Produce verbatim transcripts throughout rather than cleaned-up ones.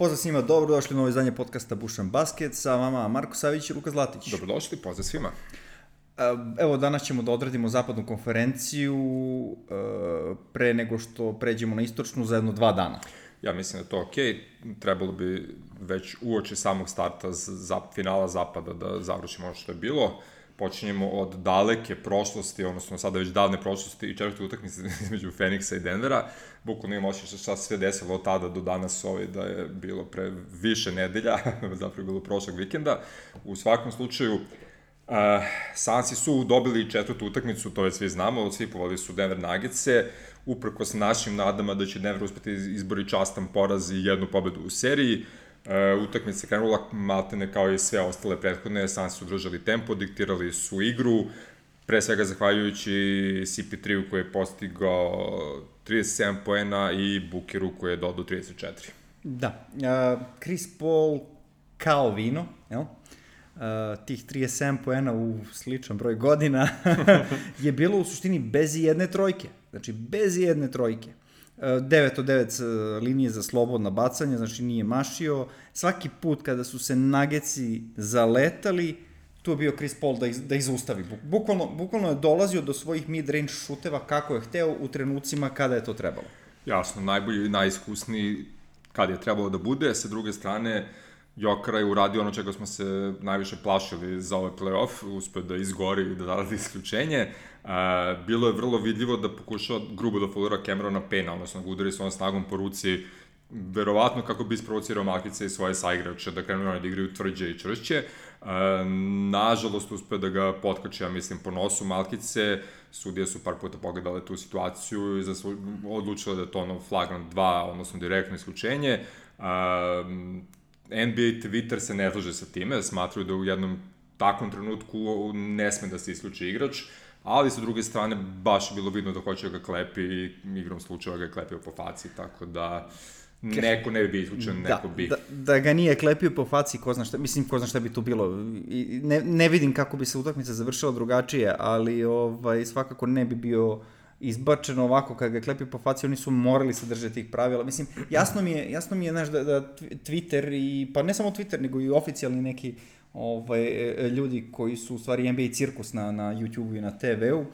Pozdrav svima, dobrodošli u novo izdanje podcasta Bušan Basket, sa vama Marko Savić i Luka Zlatić. Dobrodošli, pozdrav svima. Evo, danas ćemo da odradimo zapadnu konferenciju pre nego što pređemo na istočnu za jedno dva dana. Ja mislim da je to okej, trebalo bi već uoči samog starta za finala zapada da završimo ono što je bilo. Počinjemo od daleke prošlosti, odnosno sada već davne prošlosti i četvrte utakmice između Feniksa i Denvera. Bukvalno imamo ošće šta se sve desilo od tada do danas ovaj, da je bilo pre više nedelja, zapravo je bilo prošlog vikenda. U svakom slučaju, uh, Sansi su dobili četvrtu utakmicu, to već svi znamo, svi povali su Denver Nuggetse, uprkos našim nadama da će Denver uspeti izbori častan poraz i jednu pobedu u seriji. Uh, utakmica se krenula maltene kao i sve ostale prethodne, Sansi su držali tempo, diktirali su igru, pre svega zahvaljujući C P tri-u koji je postigao trideset sedam poena i Bookeru koji je dodao trideset četiri. Da, uh, Chris Paul kao vino, jel? Uh, tih trideset sedam poena u sličan broj godina je bilo u suštini bez jedne trojke, znači bez jedne trojke. devet od devet linije za slobodna bacanja, znači nije mašio. Svaki put kada su se Nuggetsi zaletali, tu je bio Chris Paul da ih, da ih zaustavi. Bukvalno, bukvalno je dolazio do svojih mid-range šuteva kako je hteo u trenucima kada je to trebalo. Jasno, najbolji i najiskusniji kad je trebalo da bude. Sa druge strane, Jokara je uradio ono čega smo se najviše plašili za ovaj play-off, uspeo da izgori i da dada isključenje. Uh, bilo je vrlo vidljivo da pokušao grubo da folira Camerona Payna, odnosno da udari svojom snagom po ruci, verovatno kako bi isprovocirao Malkice i svoje saigrače, da krenu da igraju tvrđe i čvršće. Uh, nažalost, uspeo da ga potkače, ja mislim, po nosu Malkice. Sudije su par puta pogledale tu situaciju i zaslu... odlučile da je to ono flagrant dva, odnosno direktno isključenje. Uh, N B A Twitter se ne slaže sa time, smatruju da u jednom takvom trenutku ne sme da se isključi igrač, ali sa druge strane baš je bilo vidno da hoće da ga klepi i igrom slučaja ga je klepio po faci, tako da neko ne bi bio isključen, da, neko bi. Da, da ga nije klepio po faci, ko zna šta, mislim, ko zna šta bi tu bilo. Ne, ne vidim kako bi se utakmica završila drugačije, ali ovaj, svakako ne bi bio izbačeno ovako, kad ga klepio po faci, oni su morali se držati tih pravila. Mislim, jasno mi je, jasno mi je, znaš, da, da Twitter i, pa ne samo Twitter, nego i oficijalni neki ovaj, ljudi koji su u stvari N B A cirkus na, na YouTube-u i na T V-u,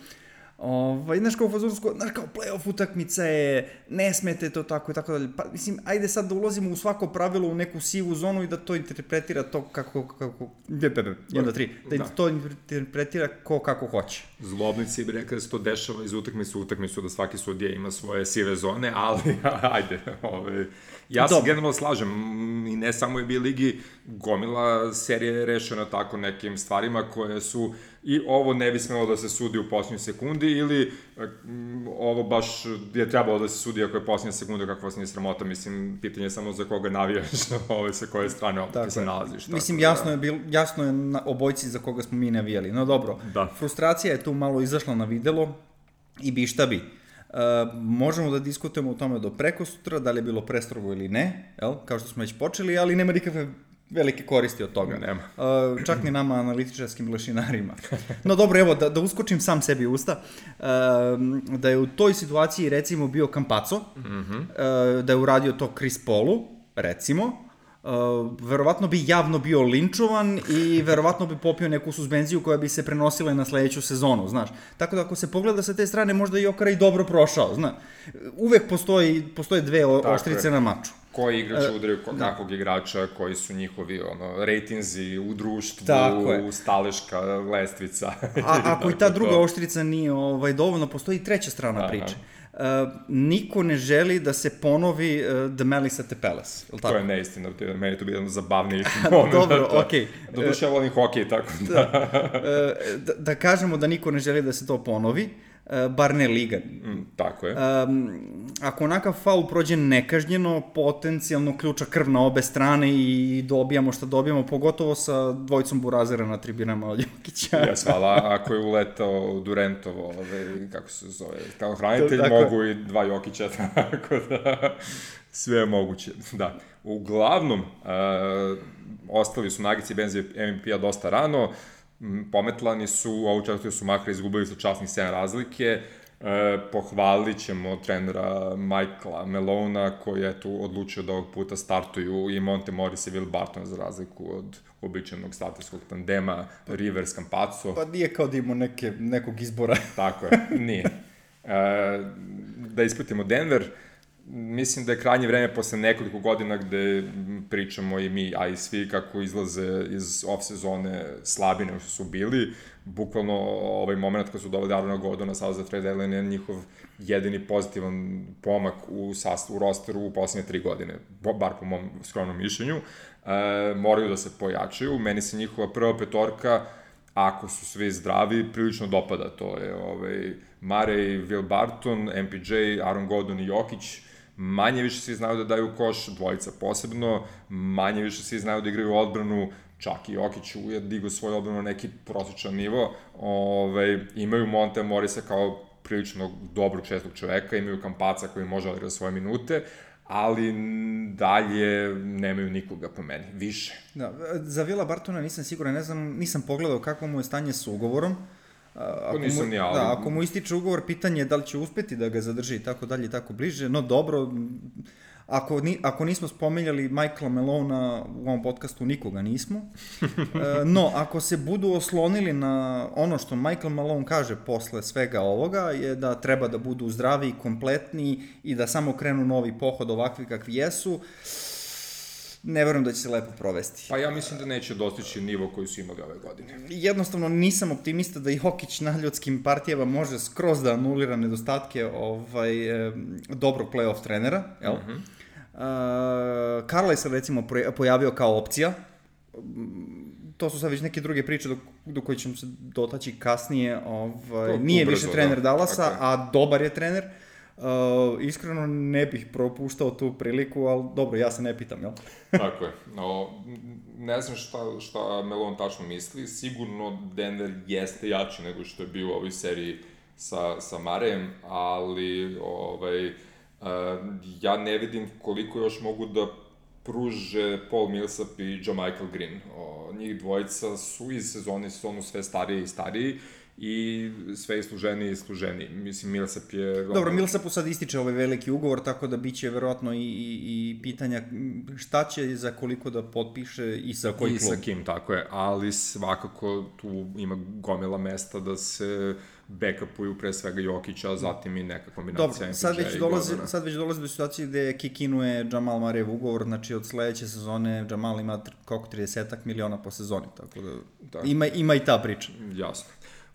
ovaj, znaš, kao fazonsko, znaš, kao play-off utakmica je, ne smete to tako i tako dalje. Pa, mislim, ajde sad da ulazimo u svako pravilo u neku sivu zonu i da to interpretira to kako, kako, jedan, dva, tri, da, da to interpretira ko kako hoće. Zlobnici bi rekli da se to dešava iz utakmice u utakmicu, da svaki sudija ima svoje sive zone, ali ajde, ovaj, ja se generalno slažem, i ne samo u N B A ligi, gomila serija je rešena tako nekim stvarima koje su, i ovo ne bi smelo da se sudi u posljednjoj sekundi, ili um, ovo baš je trebalo da se sudi ako je posljednja sekunda, kako vas nije sramota, mislim, pitanje je samo za koga navijaš, ovaj, sa koje strane opet se nalaziš. Mislim, tako, jasno, da. je bil, jasno je na obojci za koga smo mi navijali, no dobro, da. Frustracija je tu malo izašla na videlo i bi šta bi. Uh, možemo da diskutujemo o tome do preko sutra, da li je bilo prestrogo ili ne, jel? Kao što smo već počeli, ali nema nikakve velike koristi od toga. Nema. Uh, čak ni nama analitičarskim lešinarima. No dobro, evo, da, da uskočim sam sebi u usta, uh, da je u toj situaciji recimo bio Campazzo, mm-hmm. uh, da je uradio to Chris Paulu, recimo, Uh, verovatno bi javno bio linčovan i verovatno bi popio neku suspenziju koja bi se prenosila na sledeću sezonu, znaš. Tako da ako se pogleda sa te strane, možda je Jokara i dobro prošao, znaš. Uvek postoji, postoje dve o, oštrice je. Na maču. Koji igrač udaraju uh, kakvog igrača, koji su njihovi ono, rejtinzi u društvu, staleška lestvica. A ako i ta druga oštrica nije ovaj, dovoljno, postoji treća strana Aha. priče. Uh, niko ne želi da se ponovi uh, The Malice at the Palace. To je neistina, meni je to bilo zabavniji moment. Dobro, okej. Okay. Doduše ja volim hokej, tako da. da, uh, da. Da kažemo da niko ne želi da se to ponovi, uh, bar ne liga. Mm, tako je. Um, ako onakav faul prođe nekažnjeno, potencijalno ključa krv na obe strane i dobijamo šta dobijamo, pogotovo sa dvojicom burazera na tribinama od Jokića. Jes, hvala, ako je uletao Durantovo, ove, kako se zove, kao hranitelj, tako mogu i dva Jokića, tako da sve je moguće, da. Uglavnom, uh, ostali su Nuggets i benzi M V P-a dosta rano, pometlani su, ovu četvrtu su makar izgubili sa časnih sedam razlike, E, pohvalit ćemo trenera Michaela Malona, koji je tu odlučio da ovog puta startuju i Monte Morris i Will Barton, za razliku od običajnog starterskog tandema Rivers Campazzo. Pa nije kao da imamo neke, nekog izbora. Tako je, nije. E, da ispratimo Denver, mislim da je krajnje vreme posle nekoliko godina gde pričamo i mi, a i svi kako izlaze iz off-sezone slabine što su bili. Bukvalno ovaj moment kad su doveli Aarona Gordona sada za trade deadline je njihov jedini pozitivan pomak u sastavu, u rosteru u poslednje tri godine, bar po mom skromnom mišljenju. E, moraju da se pojačaju. Meni se njihova prva petorka, ako su svi zdravi, prilično dopada. To je ovaj, Murray, Will Barton, M P J, Aaron Gordon i Jokić. Manje više svi znaju da daju koš, dvojica posebno, manje više svi znaju da igraju odbranu, čak i Jokić je digao svoju odbranu na neki prosječan nivo. Ove, imaju Monte Morrisa kao prilično dobrog šestog čoveka, imaju Campazza koji može odigrati svoje minute, ali dalje nemaju nikoga po meni, više. Da, za Willa Bartona nisam siguran, ne znam, nisam pogledao kako mu je stanje sa ugovorom. Ako nisam mu, ni, ali... Da, ako mu ističe ugovor, pitanje je da li će uspeti da ga zadrži i tako dalje i tako bliže, no dobro, ako, ni, ako nismo spomenjali Michaela Malona u ovom podcastu, nikoga nismo, no, ako se budu oslonili na ono što Michael Malone kaže posle svega ovoga, je da treba da budu zdravi, kompletni i da samo krenu novi pohod ovakvi kakvi jesu, ne verujem da će se lepo provesti. Pa ja mislim da neće dostići nivo koji su imali ove godine. Jednostavno nisam optimista da i Jokić na ljudskim partijama može skroz da anulira nedostatke ovaj, e, dobrog play-off trenera, jel? Mm-hmm. Uh, Karla je se recimo pojavio kao opcija. To su sad već neke druge priče do, do koje ćemo se dotaći kasnije. Ovaj, nije ubrzo, više trener da. Dallasa, okay. A dobar je trener. Uh, iskreno ne bih propuštao tu priliku, ali dobro, ja se ne pitam, jel? Tako je. No, ne znam šta, šta Malone tačno misli. Sigurno Denver jeste jači nego što je bio u ovoj seriji sa, sa Murrayem, ali ovaj, uh, ja ne vidim koliko još mogu da pruže Paul Millsap i JaMychal Green. O, njih dvojica su iz sezone sezonu sve stariji i stariji i sve isluženiji i isluženiji. Mislim, Millsap je... Dobro, Millsapu sad ističe ovaj veliki ugovor, tako da bit će verovatno i, i, i pitanja šta će za koliko da potpiše i sa koji klub. I sa kim, tako je, ali svakako tu ima gomila mesta da se backupuju pre svega Jokića, a zatim i neka kombinacija M P J. Dobro, sad već, dolazi, sad već dolazi do situacije gde kikinuje Jamal Murrayjev ugovor, znači od sledeće sezone Jamal ima koliko trideset miliona po sezoni, tako da, da. Ima, ima i ta priča. Jasno.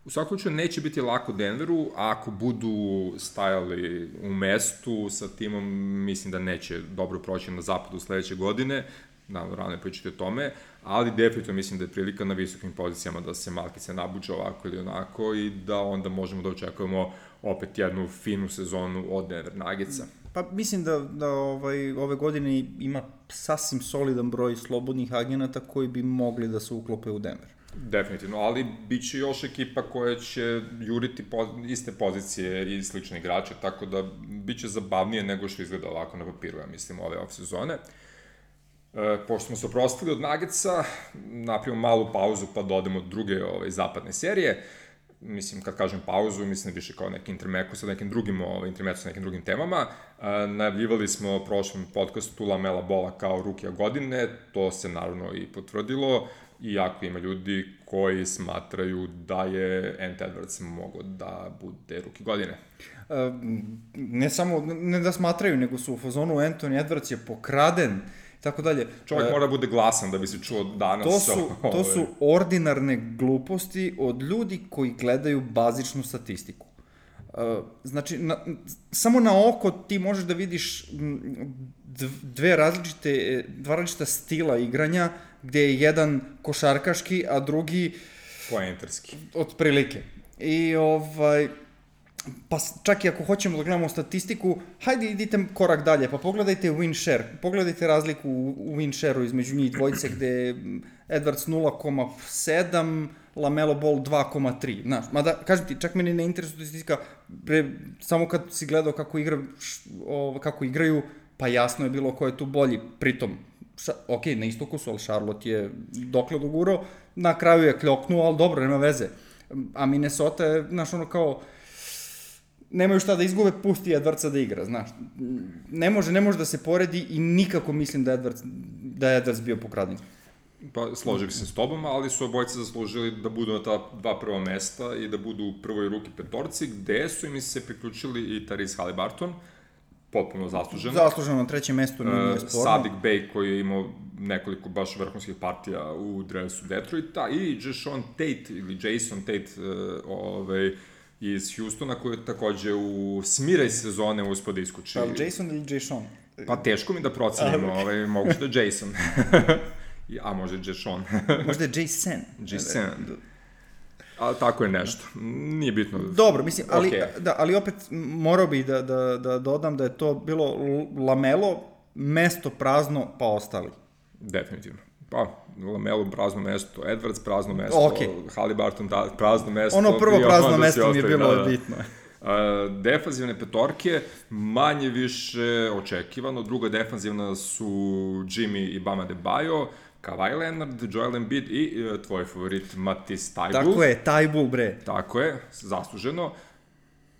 U svakom slučaju neće biti lako Denveru, a ako budu stajali u mestu sa timom, mislim da neće dobro proći na zapadu sledeće godine, naravno rano je pričati o tome, ali definitivno mislim da je prilika na visokim pozicijama da se malkice nabuđe ovako ili onako i da onda možemo da očekujemo opet jednu finu sezonu od Denver Nuggetsa. Pa mislim da, da ovaj, ove godine ima sasvim solidan broj slobodnih agenata koji bi mogli da se uklope u Denver. Definitivno, ali bit će još ekipa koja će juriti po, iste pozicije i slične igrače, tako da bit će zabavnije nego što izgleda ovako na papiru, ja mislim, ove off-sezone. E, pošto smo se oprostili od Nuggetsa, napravimo malu pauzu pa dodemo druge ove, zapadne serije. Mislim, kad kažem pauzu, mislim više kao neki intermeku sa nekim drugim, ovaj, intermeku sa nekim drugim temama. E, najavljivali smo u prošlom podcastu Lamela Bola kao rukija godine, to se naravno i potvrdilo, iako ima ljudi koji smatraju da je Ant Edwards mogao da bude ruki godine. E, ne samo, ne da smatraju, nego su u fazonu Anthony Edwards je pokraden, tako dalje. Čovjek e, mora bude glasan da bi se čuo danas. To su, to su ordinarne gluposti od ljudi koji gledaju bazičnu statistiku. E, znači, na, samo na oko ti možeš da vidiš dve različite, dva različita stila igranja, gde je jedan košarkaški, a drugi poenterski. Otprilike. I ovaj, pa čak i ako hoćemo da gledamo statistiku, hajde idite korak dalje, pa pogledajte win share, pogledajte razliku u win share-u između njih dvojice, gde je Edwards nula zarez sedam, LaMelo Ball dva zarez tri. Znaš, mada, kažem ti, čak meni ne interesuje statistika, pre, samo kad si gledao kako, igra, o, kako igraju, pa jasno je bilo ko je tu bolji, pritom, ša, ok, na istoku su, ali Charlotte je dokle dogurao, na kraju je kljoknuo, ali dobro, nema veze. A Minnesota je, znaš, ono kao, nemaju šta da izgube, pusti Edwardsa da igra, znaš. Ne može, ne može da se poredi i nikako mislim da je Edwards, da je Edwards bio pokraden. Pa, složio bih se s tobom, ali su obojci zaslužili da budu na ta dva prva mesta i da budu u prvoj ruki petorci, gde su im se priključili i Tyrese Haliburton, potpuno zasluženo. Zasluženo na trećem mestu, nije uh, sporno. Saddiq Bey, koji je imao nekoliko baš vrhunskih partija u dresu Detroita, i Jason Tate, ili Jason Tate, uh, ovaj, iz Houstona, koji je takođe u smiraj sezone uspio da iskuči. Pa Jason ili Jason? Pa teško mi da procenim, ovaj, moguće da je Jason. A možda je Jason. Možda je Jason. Jason. Ali tako je nešto. Nije bitno. Dobro, mislim, ali, okay. da, ali opet morao bih da, da, da dodam da je to bilo Lamelo, mesto prazno, pa ostali. Definitivno. Pa, Lamelo prazno mesto, Edwards prazno mesto, okay. Haliburton prazno mesto. Ono prvo prazno mesto mi je bilo da, da. bitno. Uh, defanzivne petorke, manje više očekivano. Druga defanzivna su Jimmy i Bam Adebayo, Kawhi Leonard, Joel Embiid i uh, tvoj favorit Matisse Thybulle. Tako je, Thybulle, bre. Tako je, zasluženo.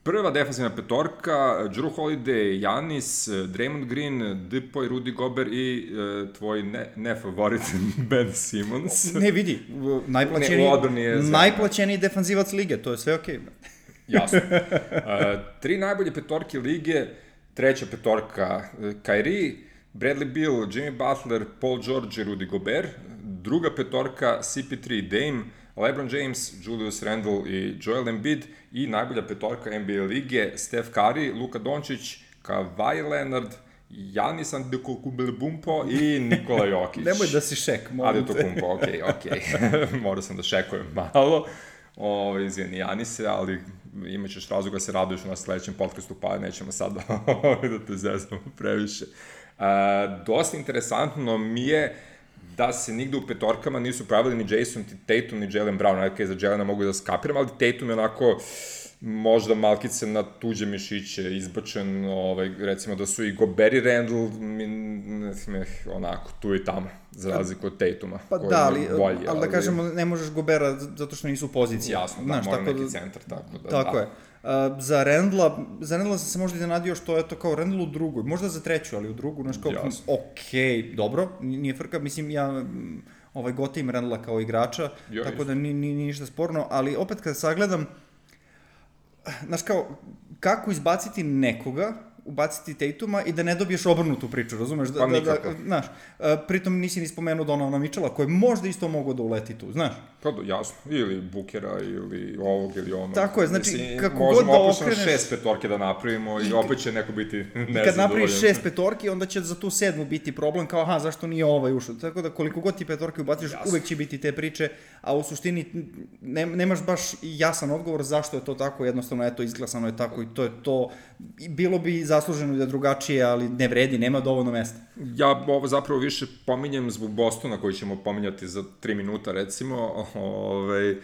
Prva defanzivna petorka, Jrue Holiday, Giannis, Draymond Green, Depoy, Rudy Gobert i uh, tvoj ne, ne favorit Ben Simmons. Ne, vidi, najplaćeniji, ne, najplaćeniji defanzivac lige, to je sve okej. Okay. Jasno. Uh, tri najbolje petorke lige, treća petorka Kyrie, Bradley Beal, Jimmy Butler, Paul George i Rudy Gobert, druga petorka C P tri, Dame, LeBron James, Julius Randle i Joel Embiid, i najbolja petorka N B A lige Steph Curry, Luka Dončić, Kawhi Leonard, Giannis Antetokounmpo i Nikola Jokić. Nemoj da si šek, molim te. Antetokounmpo, okej, okej. Morao sam da šekujem malo. Ovo, izvijeni Janise, ali imat ćeš razloga da se raduješ na sledećem podcastu, pa nećemo sad da te zeznamo previše. Uh, dosta interesantno mi je da se nigde u petorkama nisu pravili ni Jason Tatum ni Jaylen Brown, nekaj za Jaylena mogu da skapiram, ali Tatum je onako možda malkice na tuđe mišiće izbačen, ovaj, recimo da su i Gobert i Randle onako tu i tamo, za razliku od Tatuma. Pa da, ali, bolji, ali, ali da kažemo, ne možeš Gobera zato što nisu u poziciji. Jasno, da, znaš, mora tako neki da, centar, tako da. Tako da. je. Uh, za Randla, za Randla sam se možda iznenadio što je to kao Randle u drugoj, možda za treću, ali u drugu, znaš kao, okej, okay, dobro, nije frka, mislim, ja ovaj, gotim Randla kao igrača, jo, tako da nije ni, ni ništa sporno, ali opet kad sagledam, znaš kao, kako izbaciti nekoga, ubaciti Tatuma i da ne dobiješ obrnutu priču, razumeš? Da, pa da, nikako. Da, znaš, pritom nisi ni spomenuo Donovana Mitchella, koji možda isto mogo da uleti tu, znaš? Pa da, jasno, ili Bookera, ili ovog, ili onog. Tako je, znači, mislim, kako god da okreneš... Možemo opušno šest petorke da napravimo i opet će neko biti nezadovoljan. I kad napraviš šest petorki, onda će za tu sedmu biti problem, kao aha, zašto nije ovaj ušao? Tako da koliko god ti petorke ubaciš, jasno, uvek će biti te priče, a u suštini ne, nemaš baš jasan odgovor zašto je to tako, jednostavno, eto, izglasano je tako i to je to. Bilo bi zasluženo da drugačije, ali ne vredi, nema dovoljno mesta. Ja ovo zapravo više pominjem zbog Bostona, koji ćemo pominjati za tri minuta, recimo, ovaj, uh,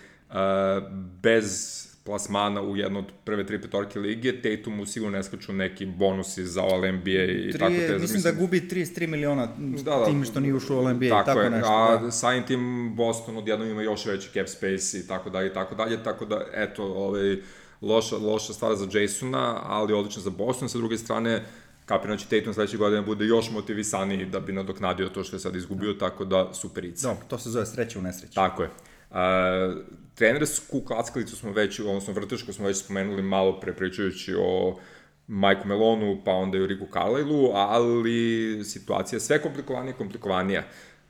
bez plasmana u jednu od prve tri petorke lige, Tatumu sigurno ne skaču neki bonusi za All N B A i Tri, tako te. Mislim, mislim da gubi trideset tri miliona da, da, tim što nije ušao u All N B A tako i tako je, nešto. A da. samim tim Boston odjednom ima još veći cap space i tako dalje i tako dalje, tako da, eto, ovaj, loša, loša stvar za Jasona, ali odlično za Boston. Sa druge strane, kapiram će Tatum sledeće godine bude još motivisaniji da bi nadoknadio to što je sad izgubio, tako da superica. Da, to se zove sreća u nesreći. Tako je. Uh, trenersku klackalicu smo već, odnosno vrtešku smo već spomenuli malo pre pričajući o Mike'u Melonu, pa onda i o Ricku Carlisle-u, ali situacija je sve komplikovanija i komplikovanija.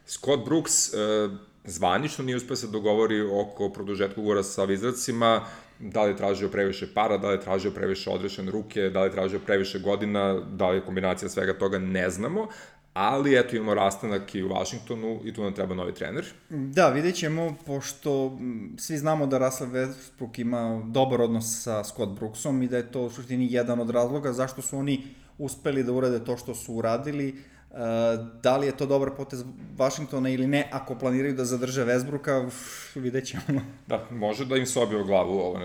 Scott Brooks uh, zvanično nije uspio se dogovori oko produžetka ugovora sa Wizardsima, da li je tražio previše para, da li je tražio previše odrešene ruke, da li je tražio previše godina, da li je kombinacija svega toga, ne znamo, ali eto imamo rastanak i u Washingtonu i tu nam treba novi trener. Da, vidjet ćemo, pošto svi znamo da Russell Westbrook ima dobar odnos sa Scott Brooksom i da je to u suštini jedan od razloga zašto su oni uspeli da urade to što su uradili. Uh, da li je to dobar potez Washingtona ili ne, ako planiraju da zadrže Westbrooka, vidjet ćemo. Da, može da im se obio glavu ovo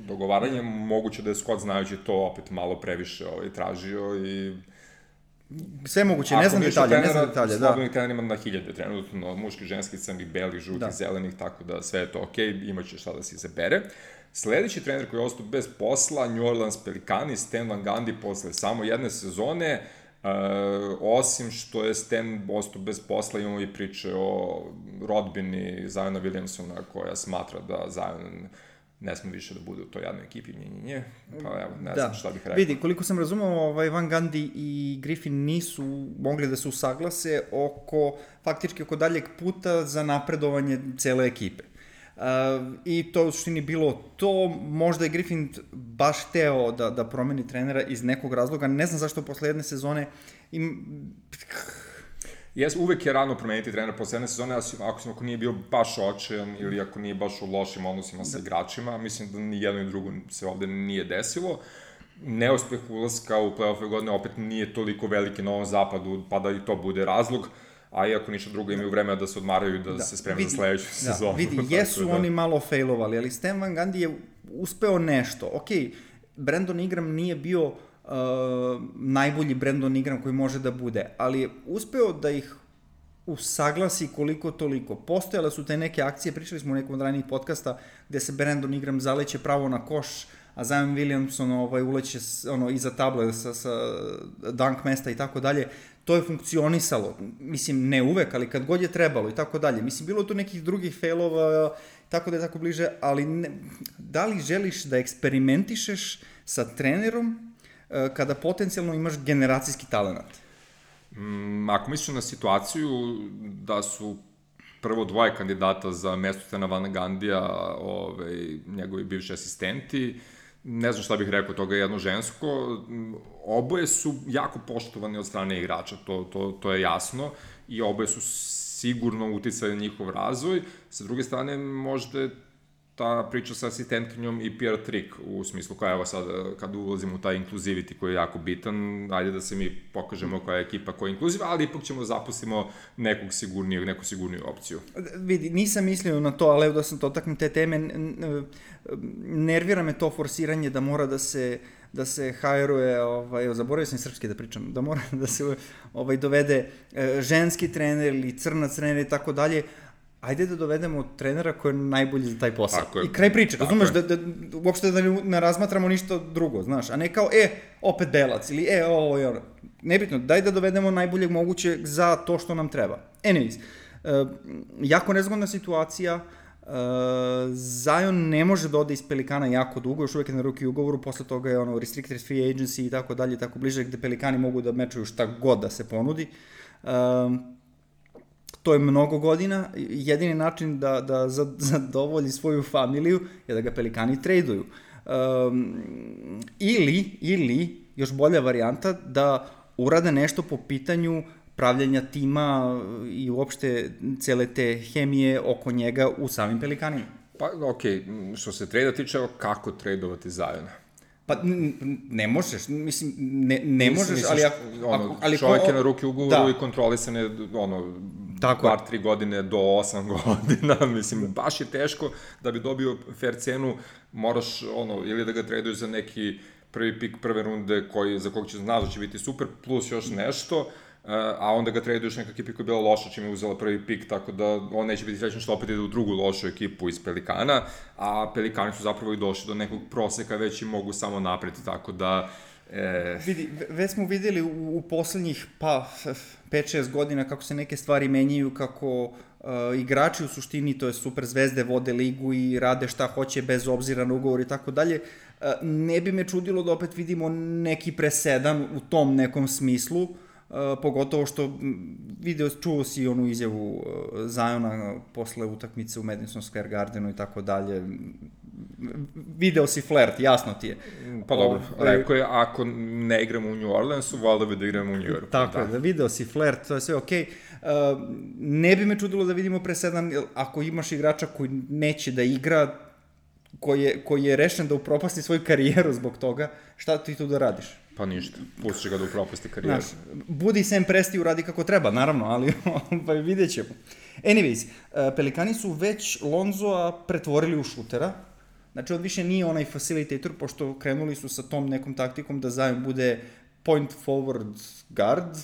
dogovaranje, moguće da je Scott znajući to opet malo previše ovaj, tražio i... Sve moguće, ne znam detalje, ne znam detalje, da. Slobodnih trenera ima na hiljade trenutno, muški, ženski, crnih, belih, žutih, da, zelenih, tako da sve je to okej, okay, imaće šta da se izabere. Sledeći trener koji je ostao bez posla, New Orleans Pelicani, Stan Van Gundy, posle samo jedne sezone, Uh, osim što je Stan ostao bez posla, imamo i priče o rodbini Ziona Williamsona, koja smatra da Zion ne sme više da bude u toj jednoj ekipi, nje, nje, nje. Pa evo, ne da. znam šta bih rekao. Vidi, koliko sam razumeo, ovaj, Van Gundy i Griffin nisu mogli da se usaglase oko, faktički oko daljeg puta za napredovanje cele ekipe. Uh, I to u suštini bilo to, možda je Griffin baš hteo da, da promeni trenera iz nekog razloga, ne znam zašto posle jedne sezone im... Jes, uvek je rano promeniti trenera posle jedne sezone, ako, ako nije bio baš očajan ili ako nije baš u lošim odnosima sa igračima, mislim da ni jedno i drugo se ovde nije desilo. Neuspeh ulaska u play-offe godine opet nije toliko veliki na ovom zapadu, pa da i to bude razlog, a iako ništa drugo imaju vremena da se odmaraju i da, da se spreme za sledeću sezonu. Da, vidi, jesu da. Oni malo failovali, ali Stan Van Gundy je uspeo nešto. Ok, Brandon Ingram nije bio uh, najbolji Brandon Ingram koji može da bude, ali je uspeo da ih usaglasi koliko toliko. Postojale su te neke akcije, pričali smo u nekom od ranijih podcasta, gde se Brandon Ingram zaleće pravo na koš, a Zion Williamson ovaj, uleće ono, iza table sa, sa dunk mesta i tako dalje. To je funkcionisalo, mislim, ne uvek, ali kad god je trebalo i tako dalje. Mislim, bilo tu nekih drugih failova, tako da je tako bliže, ali ne, da li želiš da eksperimentišeš sa trenerom kada potencijalno imaš generacijski talenat? Mm, ako misliš na situaciju da su prvo dvoje kandidata za mesto Stana Van Gundija, ovaj, njegovi bivši asistenti, ne znam šta bih rekao, toga je jedno žensko, oboje su jako poštovani od strane igrača, to, to, to je jasno, i oboje su sigurno uticali na njihov razvoj. Sa druge strane, možda je ta priča sa asistentkinjom i P R trik, u smislu koja, evo sad, kad ulazimo u taj inkluziviti koji je jako bitan, ajde da se mi pokažemo koja je ekipa koja je inkluziva, ali ipak ćemo zapustimo nekog sigurnijeg, neku sigurniju opciju. Vidi, nisam mislio na to, ali evo da sam to taknem te teme, nervira me to forsiranje da mora da se da se hajruje, ovaj, zaboravio sam srpski da pričam, da mora da se ovaj, dovede ženski trener ili crnac trener i tako dalje. Ajde da dovedemo trenera koji je najbolji za taj posao. I kraj priče, razumeš, da, da, uopšte da ne razmatramo ništa drugo, znaš, a ne kao, e, opet belac, ili e, ovo je ono. Nebitno, daj da dovedemo najboljeg mogućeg za to što nam treba. Anyways, uh, jako nezgodna situacija, uh, Zion ne može da ode iz Pelikana jako dugo, još uvek je na ruki ugovoru, posle toga je ono restricted free agency i tako dalje, tako bliže, gde Pelikani mogu da mečuju šta god da se ponudi. Uh, To je mnogo godina, jedini način da, da zadovolji svoju familiju je da ga Pelikani traduju. Um, ili, ili, još bolja varijanta, da urade nešto po pitanju pravljanja tima i uopšte cele te hemije oko njega u samim Pelikanima. Pa, okej, okay. Što se trada tiče, kako tradovati Ziona? Pa ne možeš, mislim, ne, ne možeš, misliš, ali... Ako, ono, ali čovjek ko, je na ruki ugovoru da. I kontrolisane, ono, tako bar tri godine do osam godina, mislim, baš je teško da bi dobio fair cenu, moraš, ono, ili da ga traduješ za neki prvi pik prve runde koji, za kog će znaš da će biti super, plus još nešto, a onda ga traduješ neka ekipa koja je bila loša čim je uzela prvi pik, tako da on neće biti srećan što opet ide u drugu lošu ekipu iz Pelikana, a Pelikani su zapravo i došli do nekog proseka, već i mogu samo napred, tako da... E... Vidi, već smo videli u, u poslednjih, pa, pet šest godina kako se neke stvari menjaju, kako uh, igrači u suštini, to je super zvezde, vode ligu i rade šta hoće bez obzira na ugovor i tako dalje. Uh, ne bi me čudilo da opet vidimo neki presedan u tom nekom smislu, Uh, pogotovo što video, čuo si onu izjavu uh, Ziona posle utakmice u Madison Square Gardenu i tako dalje. Video si flert, jasno ti je. Pa dobro, o, rekao je, ako ne igramo u New Orleansu, valjda bi da igramo u New Yorku. Tako je, da. da video si flert, to je sve okej. Okay. Uh, ne bi me čudilo da vidimo presedan, ako imaš igrača koji neće da igra, koji je, koji je rešen da upropasti svoju karijeru zbog toga, šta ti tu da radiš? Pa ništa, pustiš ga da upropasti karijeru. Znaš, budi Sam Presti, uradi kako treba, naravno, ali pa vidjet ćemo. Anyways, Pelikani su već Lonzoa pretvorili u šutera, znači on više nije onaj facilitator, pošto krenuli su sa tom nekom taktikom da Zion bude point forward guard.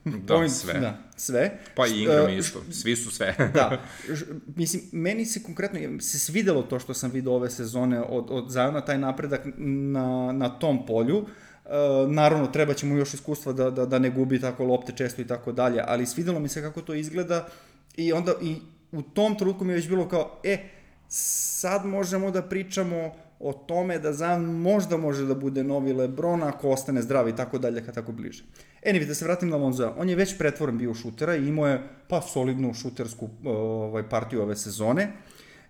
Da, point, sve. Da, sve. Pa i Ingram uh, isto, svi su sve. Da, ž, mislim, meni se konkretno se svidelo to što sam vidio ove sezone od, od Ziona, taj napredak na, na tom polju. Uh, naravno, treba će mu još iskustva da, da, da ne gubi tako lopte često i tako dalje, ali svidelo mi se kako to izgleda i onda i u tom trenutku mi je već bilo kao, e, sad možemo da pričamo o tome da Zion možda može da bude novi LeBron ako ostane zdrav i tako dalje, kad tako bliže. Anyway, da se vratim na Lonzoa, on je već pretvoren bio u šutera i imao je pa solidnu šutersku ovaj, partiju ove sezone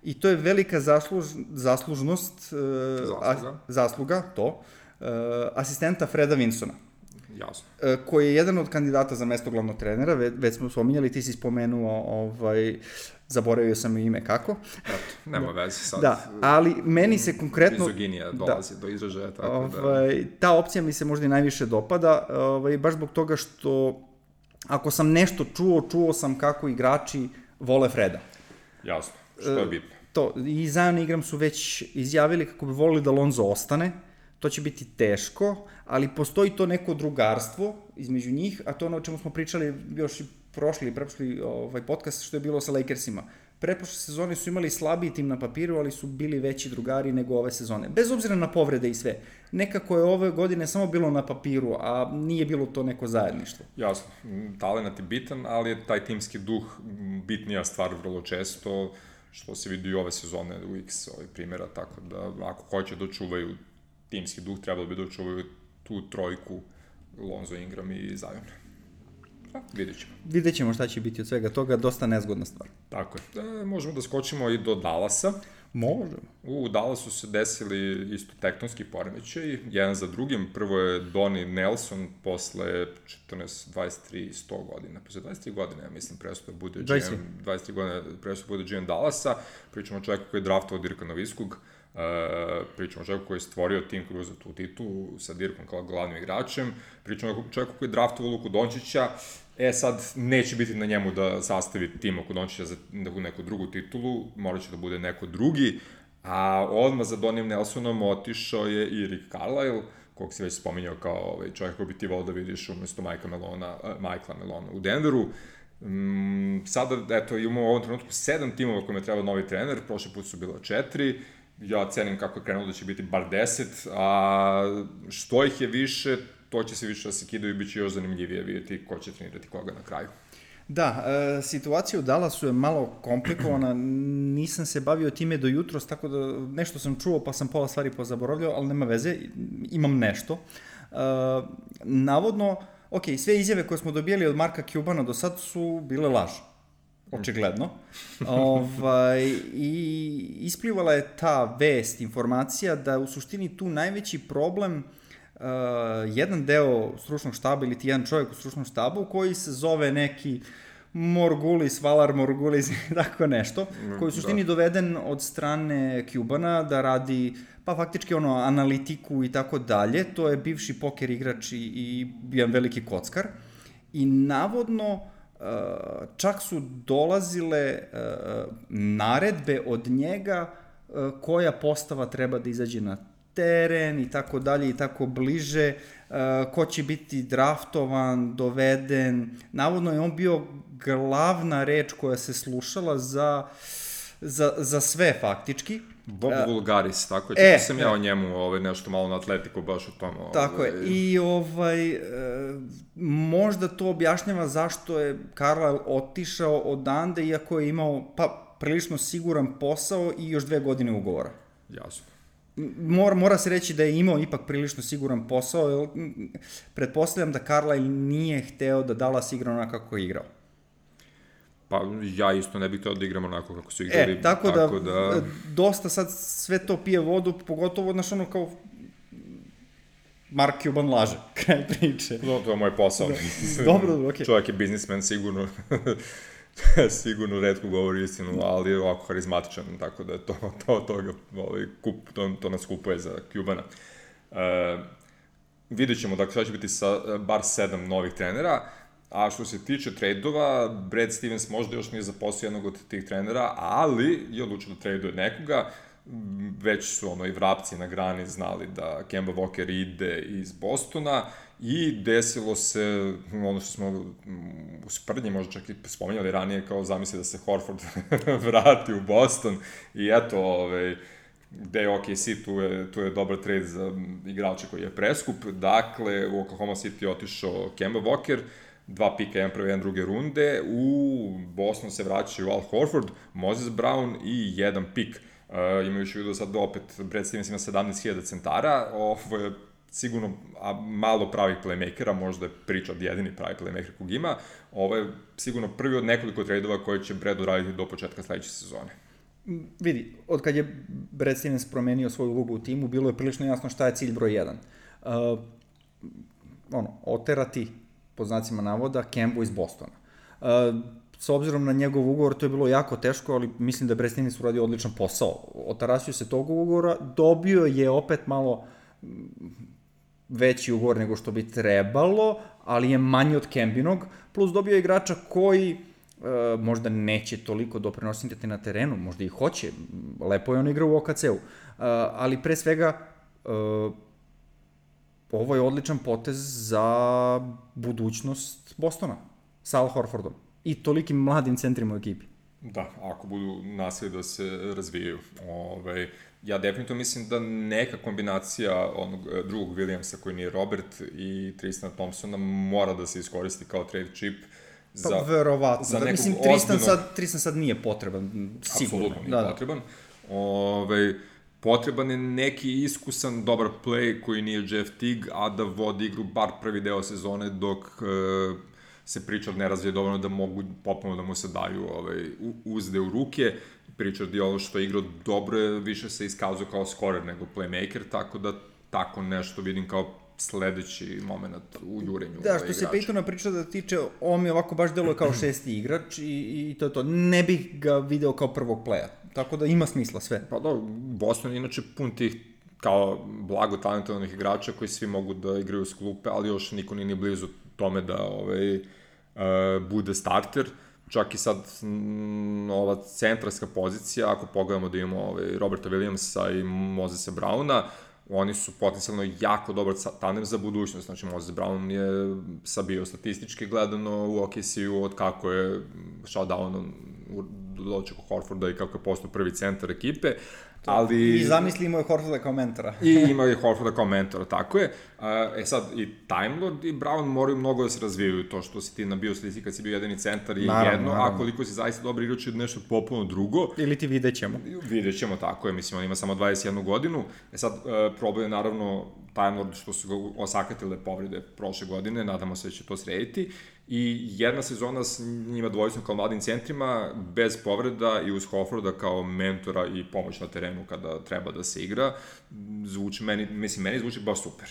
i to je velika zasluž, zaslužnost, zasluga. A, zasluga, to, asistenta Freda Vinsona. Jasno. Koji je jedan od kandidata za mesto glavnog trenera, već smo spominjali, ti si spomenuo, ovaj, zaboravio sam ime kako. Eto, nema veze sad. Da, ali meni se konkretno... Mizoginija dolazi da, do izražaja, tako ovaj, da... Ta opcija mi se možda i najviše dopada, ovaj, baš zbog toga što ako sam nešto čuo, čuo sam kako igrači vole Freda. Jasno, što je bitno. To, i Zion i Ingram su već izjavili kako bi volili da Lonzo ostane. To će biti teško, ali postoji to neko drugarstvo između njih, a to ono o čemu smo pričali još i prošli i preprošli ovaj podcast što je bilo sa Lakersima. Preprošle sezone su imali slabiji tim na papiru, ali su bili veći drugari nego ove sezone. Bez obzira na povrede i sve. Nekako je ove godine samo bilo na papiru, a nije bilo to neko zajedništvo. Jasno, talenat je bitan, ali je taj timski duh bitnija stvar vrlo često, što se vidi i ove sezone u X ovaj primjera, tako da ako hoće da čuvaju timski duh, trebalo bi da očuvaju tu trojku Lonzo, Ingram i Zion. A, vidjet ćemo. Vidjet ćemo šta će biti od svega toga, dosta nezgodna stvar. Tako je. E, možemo da skočimo i do Dallasa. Možemo. U Dallasu se desili isto tektonski poremećaj, jedan za drugim. Prvo je Donnie Nelson posle četrnaest, dvadeset tri, sto godina. Posle dvadeset tri godine, ja mislim, presto da bude G M, dvadeset tri godine presto bude G M Dallasa. Pričamo o čovjeku koji je draftovao Dirka Nowitzkog. Uh, pričamo o čovjeku koji je stvorio tim koji je uzeo tu titulu sa Dirkom kao glavnim igračem, pričamo o čovjeku koji je draftovao Luku Dončića, e sad neće biti na njemu da sastavi tim Luku Dončića za neku drugu titulu, morat će da bude neko drugi, a odmah za Donnie Nelsonom otišao je i Rick Carlisle, kog si već spominjao kao ovaj, čovjek koji bi ti volao da vidiš umjesto Mikea Melona, uh, Michaela Melona u Denveru. Um, sada, eto, imamo u ovom trenutku sedam timova kojima je trebao novi trener, prošli put su bilo četiri, ja cenim kako je krenulo da će biti bar deset, a što ih je više, to će se više da se kidaju i bit će još zanimljivije vidjeti ko će trenirati koga na kraju. Da, e, situacija u Dallasu je malo komplikovana, nisam se bavio time do jutros, tako da nešto sam čuo pa sam pola stvari pozaboravljao, ali nema veze, imam nešto. E, navodno, ok, sve izjave koje smo dobijali od Marka Cubana do sad su bile laž. Očigledno. ovaj, I isplivala je ta vest, informacija da u suštini tu najveći problem uh, jedan deo stručnog štaba ili ti jedan čovjek u stručnom štabu koji se zove neki Morgulis, Valar Morgulis, tako nešto, koji je u suštini da. doveden od strane Cubana da radi, pa faktički ono, analitiku i tako dalje. To je bivši poker igrač i, i jedan veliki kockar. I navodno Uh, čak su dolazile uh, naredbe od njega uh, koja postava treba da izađe na teren i tako dalje i tako bliže, uh, ko će biti draftovan, doveden. Navodno je on bio glavna reč koja se slušala za, za, za sve faktički. Bob uh, Vulgaris, tako je, e, sam ja o njemu ovaj, nešto malo na Atletiku baš o tom. Ovaj. Tako je, i ovaj, e, možda to objašnjava zašto je Carlisle otišao odande, iako je imao pa prilično siguran posao i još dve godine ugovora. Jasno. Mora, mora se reći da je imao ipak prilično siguran posao, jer pretpostavljam da Carlisle nije hteo da Dallas igra onako kako je igrao. Pa ja isto ne bih htio da igram onako kako su igrali. E, tako, tako da, da, dosta sad sve to pije vodu, pogotovo, znaš, ono kao Mark Cuban laže, kraj priče. No, to je moj posao. Da. Dobro, okej. Okay. Čovjek je biznismen, sigurno, sigurno retko govori istinu, ali je ovako harizmatičan, tako da to, to, to, ovaj, kup, to, to nas kupuje za Cubana. Uh, vidjet ćemo, dakle, sada će biti sa bar sedam novih trenera. A što se tiče trejdova, Brad Stevens možda još nije zaposlio jednog od tih trenera, ali je odlučio da trejduje nekoga. već su ono i vrapci na grani znali da Kemba Walker ide iz Bostona i desilo se ono što smo u sprdnji možda čak i spominjali ranije, kao zamisli da se Horford vrati u Boston i eto, ovaj, gde je O K C, tu je, tu je dobar trade za igrača koji je preskup. Dakle, u Oklahoma City je otišao Kemba Walker, dva pika, jedan prve, jedan druge runde, u Boston se vraćaju Al Horford, Moses Brown i jedan pik. Uh, imajući u vidu sad opet Brad Stevens ima sedamnaest hiljada centara, ovo je sigurno a, malo pravih playmakera, možda je Pritchard jedini pravi playmaker kog ima, ovo je sigurno prvi od nekoliko tradeova koje će Brad uraditi do početka sledeće sezone. Vidi, od kad je Brad Stevens promenio svoju ulogu u timu, bilo je prilično jasno šta je cilj broj jedan. Uh, ono, oterati, pod znacima navoda, Kembu iz Bostona. Uh, s obzirom na njegov ugovor, to je bilo jako teško, ali mislim da je Brad Stevens uradio odličan posao. Otarasio se tog ugovora, dobio je opet malo veći ugovor nego što bi trebalo, ali je manji od Kembinog, plus dobio je igrača koji Uh, možda neće toliko doprinositi na terenu, možda i hoće, lepo je on igra u O K C-u, uh, ali pre svega uh, ovo je odličan potez za budućnost Bostona sa Al Horfordom i tolikim mladim centrima u ekipi. Da, ako budu nastavili da se razvijaju. Ove, ja definitivno mislim da neka kombinacija onog drugog Williamsa koji nije Robert i Tristana Thompsona mora da se iskoristi kao trade chip. Pa za, verovatno, za da, mislim, Tristan, ozbiljno... sad, Tristan sad nije potreban, sigurno. Apsolutno nije da, potreban. Da. Ove, potreban je neki iskusan, dobar play koji nije Jeff Teague, a da vodi igru bar prvi deo sezone dok e, se Pritchard ne razvije dovoljno da mogu popuno da mu se daju ovaj, uzde u ruke. Pritchard je ovo što je igrao dobro, je više se iskazuje kao scorer nego playmaker, tako da tako nešto vidim kao sledeći moment u jurenju. Da, što se Peytona priča da tiče, on mi ovako baš deluje kao šesti igrač i, i to je to. Ne bih ga video kao prvog playa. Tako da ima smisla sve. Pa da, Boston je inače pun tih kao blago talentovanih igrača koji svi mogu da igraju s klupe, ali još niko nije ni blizu tome da ovaj, uh, bude starter. Čak i sad m, ova centarska pozicija, ako pogledamo da imamo ovaj, Roberta Williamsa i Mosesa Browna, oni su potencijalno jako dobar tandem za budućnost. Znači, Moses Brown je sabio statistički gledano u O K C-u od kako je šao downom do dočeku Horforda i kako je postao prvi centar ekipe. Ali... I zamisli imao je Horforda kao mentora. I imao je Horforda kao mentora, tako je. E sad, i Time Lord i Brown moraju mnogo da se razvijaju. To što si ti nabio statistici kad si bio jedini centar je naravno, jedno, naravno. A koliko si zaista dobar igrač je nešto popuno drugo. Ili ti vidjet ćemo. Vidjet ćemo, tako je. Mislim, on ima samo dvadeset jednu godinu. E sad, e, problem je naravno Time Lord što su ga osakatile povrede prošle godine. Nadamo se da će to srediti. I jedna sezona s njima dvojicom kao mladim centrima, bez povreda i uz Horforda kao mentora i pomoć na terenu kada treba da se igra, zvuči meni, mislim, meni zvuči baš super.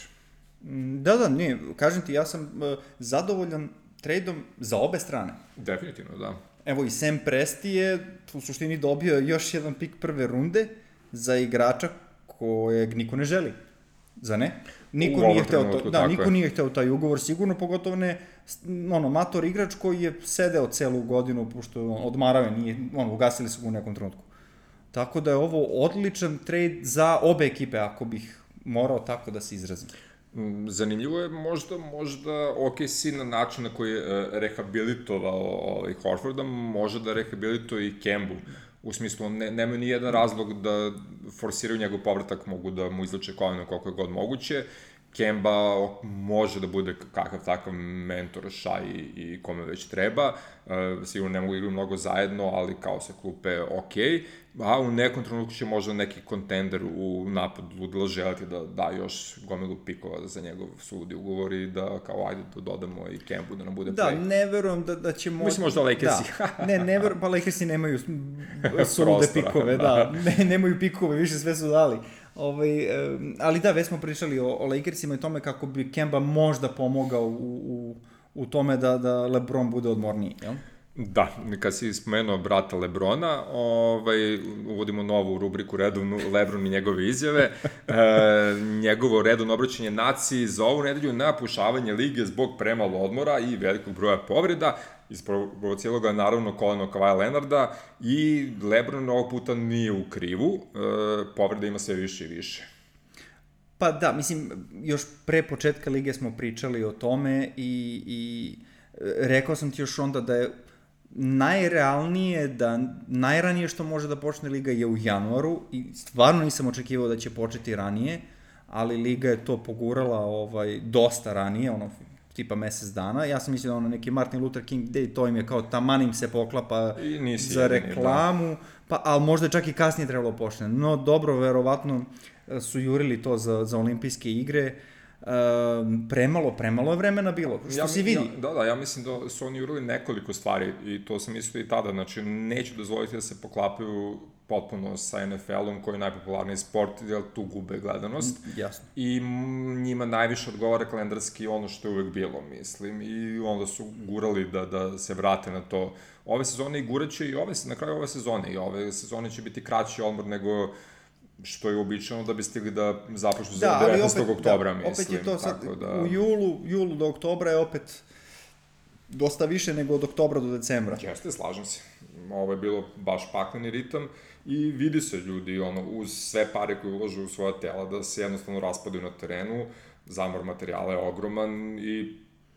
Da, da, nije, kažem ti, ja sam uh, zadovoljan trejdom za obe strane. Definitivno, da. Evo i Sam Presti je u suštini dobio još jedan pik prve runde za igrača kojeg niko ne želi. Za ne? Niko nije hteo to, da, niko je. nije hteo taj ugovor, sigurno, pogotovo ne ono, mator igrač koji je sedeo celu godinu, pošto odmarao je, nije, ono, ugasili su ga u nekom trenutku. Tako da je ovo odličan trade za obe ekipe, ako bih morao tako da se izrazim. Zanimljivo je možda, možda O K C na način na koji je rehabilitovao ovaj Horforda, može da rehabilituje i Kembu. U smislu, ne, nemaju ni jedan razlog da forsiraju njegov povratak, mogu da mu izlače koleno koliko je god moguće. Kemba može da bude kakav takav mentor Shai i kome već treba. E, sigurno ne mogu igrati mnogo zajedno, ali kao sa klupe ok. A u nekom trenutku će možda neki kontender u napadu da želiti da da još gomilu pikova za njegov sudi ugovor i da kao ajde da dodamo i Kembu da nam bude da, play. Da, ne verujem da, da će možda... Mislim možda Lakersi. Da, ne, ne verujem, pa Lakersi nemaju sulude pikove, da, ne, nemaju pikove, više sve su dali. Ovaj, ali da, već smo pričali o, o Lakersima i tome kako bi Kemba možda pomogao u, u, u tome da, da LeBron bude odmorniji, jel? Da, kad si spomenuo brata Lebrona, ovaj, uvodimo novu rubriku redovnu Lebron i njegove izjave. E, njegovo redovno obraćanje naciji za ovu nedelju na pušavanje lige zbog premalo odmora i velikog broja povreda. Isprovociralo ga naravno koleno Kawhi Leonarda i Lebron ovog puta nije u krivu, e, povreda ima sve više i više. Pa da, mislim, još pre početka lige smo pričali o tome i, i rekao sam ti još onda da je najrealnije, da najranije što može da počne liga je u januaru i stvarno nisam očekivao da će početi ranije, ali liga je to pogurala ovaj, dosta ranije, ono, tipa mesec dana. Ja sam mislio da ono neki Martin Luther King Day, to im je kao taman im se poklapa za reklamu, da. Pa, ali možda čak i kasnije trebalo počne. No dobro, verovatno su jurili to za, za olimpijske igre. Uh, premalo, premalo je vremena bilo, što ja, si vidi. Ja, da, da, ja mislim da su oni jurili nekoliko stvari i to sam mislio i tada, znači neću dozvoliti da se poklapaju potpuno sa en ef el-om koji je najpopularniji sport, jer tu gube gledanost. Jasno. I njima najviše odgovara kalendarski ono što je uvek bilo, mislim, i onda su gurali da, da se vrate na to. Ove sezone i guraće i ove, na kraju ove sezone i ove sezone će biti kraći odmor nego što je uobičajeno da bi stigli da započnu za da, devetnaestog oktobra, da, mislim. Opet je to sad, da... u julu, julu do oktobra je opet dosta više nego od oktobra do decembra. Jeste, slažem se. Ovo je bilo baš pakleni ritam i vidi se ljudi, ono, uz sve pare koje uložu u svoja tela, da se jednostavno raspadaju na terenu, zamor materijala je ogroman i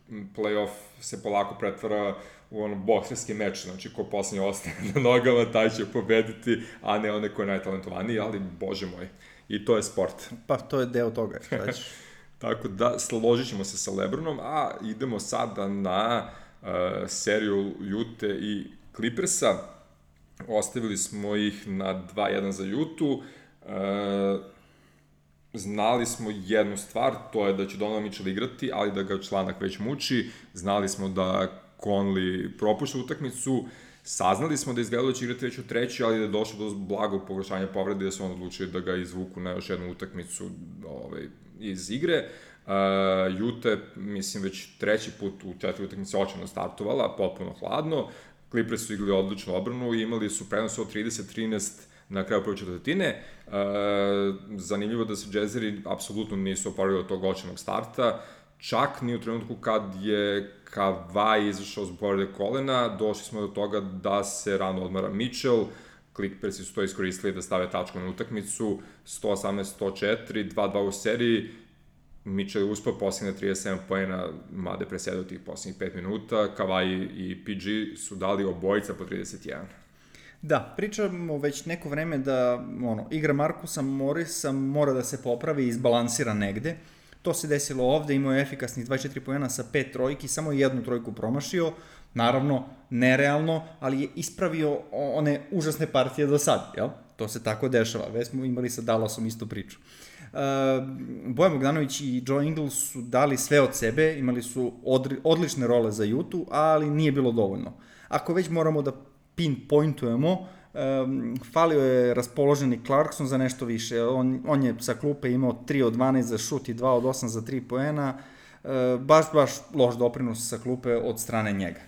play-off se polako pretvara u ono bokserski meč, znači ko poslednje ostane na nogama, taj će pobediti, a ne one ko je najtalentovaniji, ali bože moj, i to je sport. Pa to je deo toga, šta ćeš. Tako da, složit ćemo se sa Lebronom, a idemo sada na uh, seriju Jute i Clippersa. Ostavili smo ih na dva jedan za Jutu. Uh, Znali smo jednu stvar, to je da će Donovan Mitchell igrati, ali da ga članak već muči. Znali smo da Conley propušta utakmicu. Saznali smo da izgledalo da će igrati već u treći, ali da je došlo do blagog pogoršanja povrede, da su on odlučili da ga izvuku na još jednu utakmicu ovaj, iz igre. Uh, Jute, mislim, već treći put u četiri utakmice očajno startovala, potpuno hladno. Clippers su igrali odličnu obranu i imali su prenos od trideset trinaest na kraju prve četvrtine. E, zanimljivo da se Jazzeri apsolutno nisu oparili od tog očajnog starta. Čak ni u trenutku kad je Kawhi izašao zbog povrede kolena, došli smo do toga da se rano odmara Mitchell. Clippersi su to iskoristili da stave tačku na utakmicu. sto osamnaest sto četiri, dva dva u seriji. Mitchell je uspao posljednje trideset sedam poena, mada je presedao tih posljednjih pet minuta. Kawhi i P G su dali obojica po trideset jedan. Da, pričamo već neko vreme da ono, igra Markusa Morrisa mora da se popravi i izbalansira negde. To se desilo ovde, imao je efikasnih dvadeset četiri poena sa pet trojki, samo jednu trojku promašio. Naravno, nerealno, ali je ispravio one užasne partije do sad, jel? To se tako dešava. Već smo imali sa Dallasom istu priču. Uh, Bojan Bogdanović i Joe Ingles su dali sve od sebe, imali su odri, odlične role za Jutu, ali nije bilo dovoljno. Ako već moramo da pinpointujemo, um, falio je raspoloženi Clarkson za nešto više. On, on je sa klupe imao tri od dvanaest za šut i dva od osam za tri poena. Uh, baš, baš loš doprinos sa klupe od strane njega.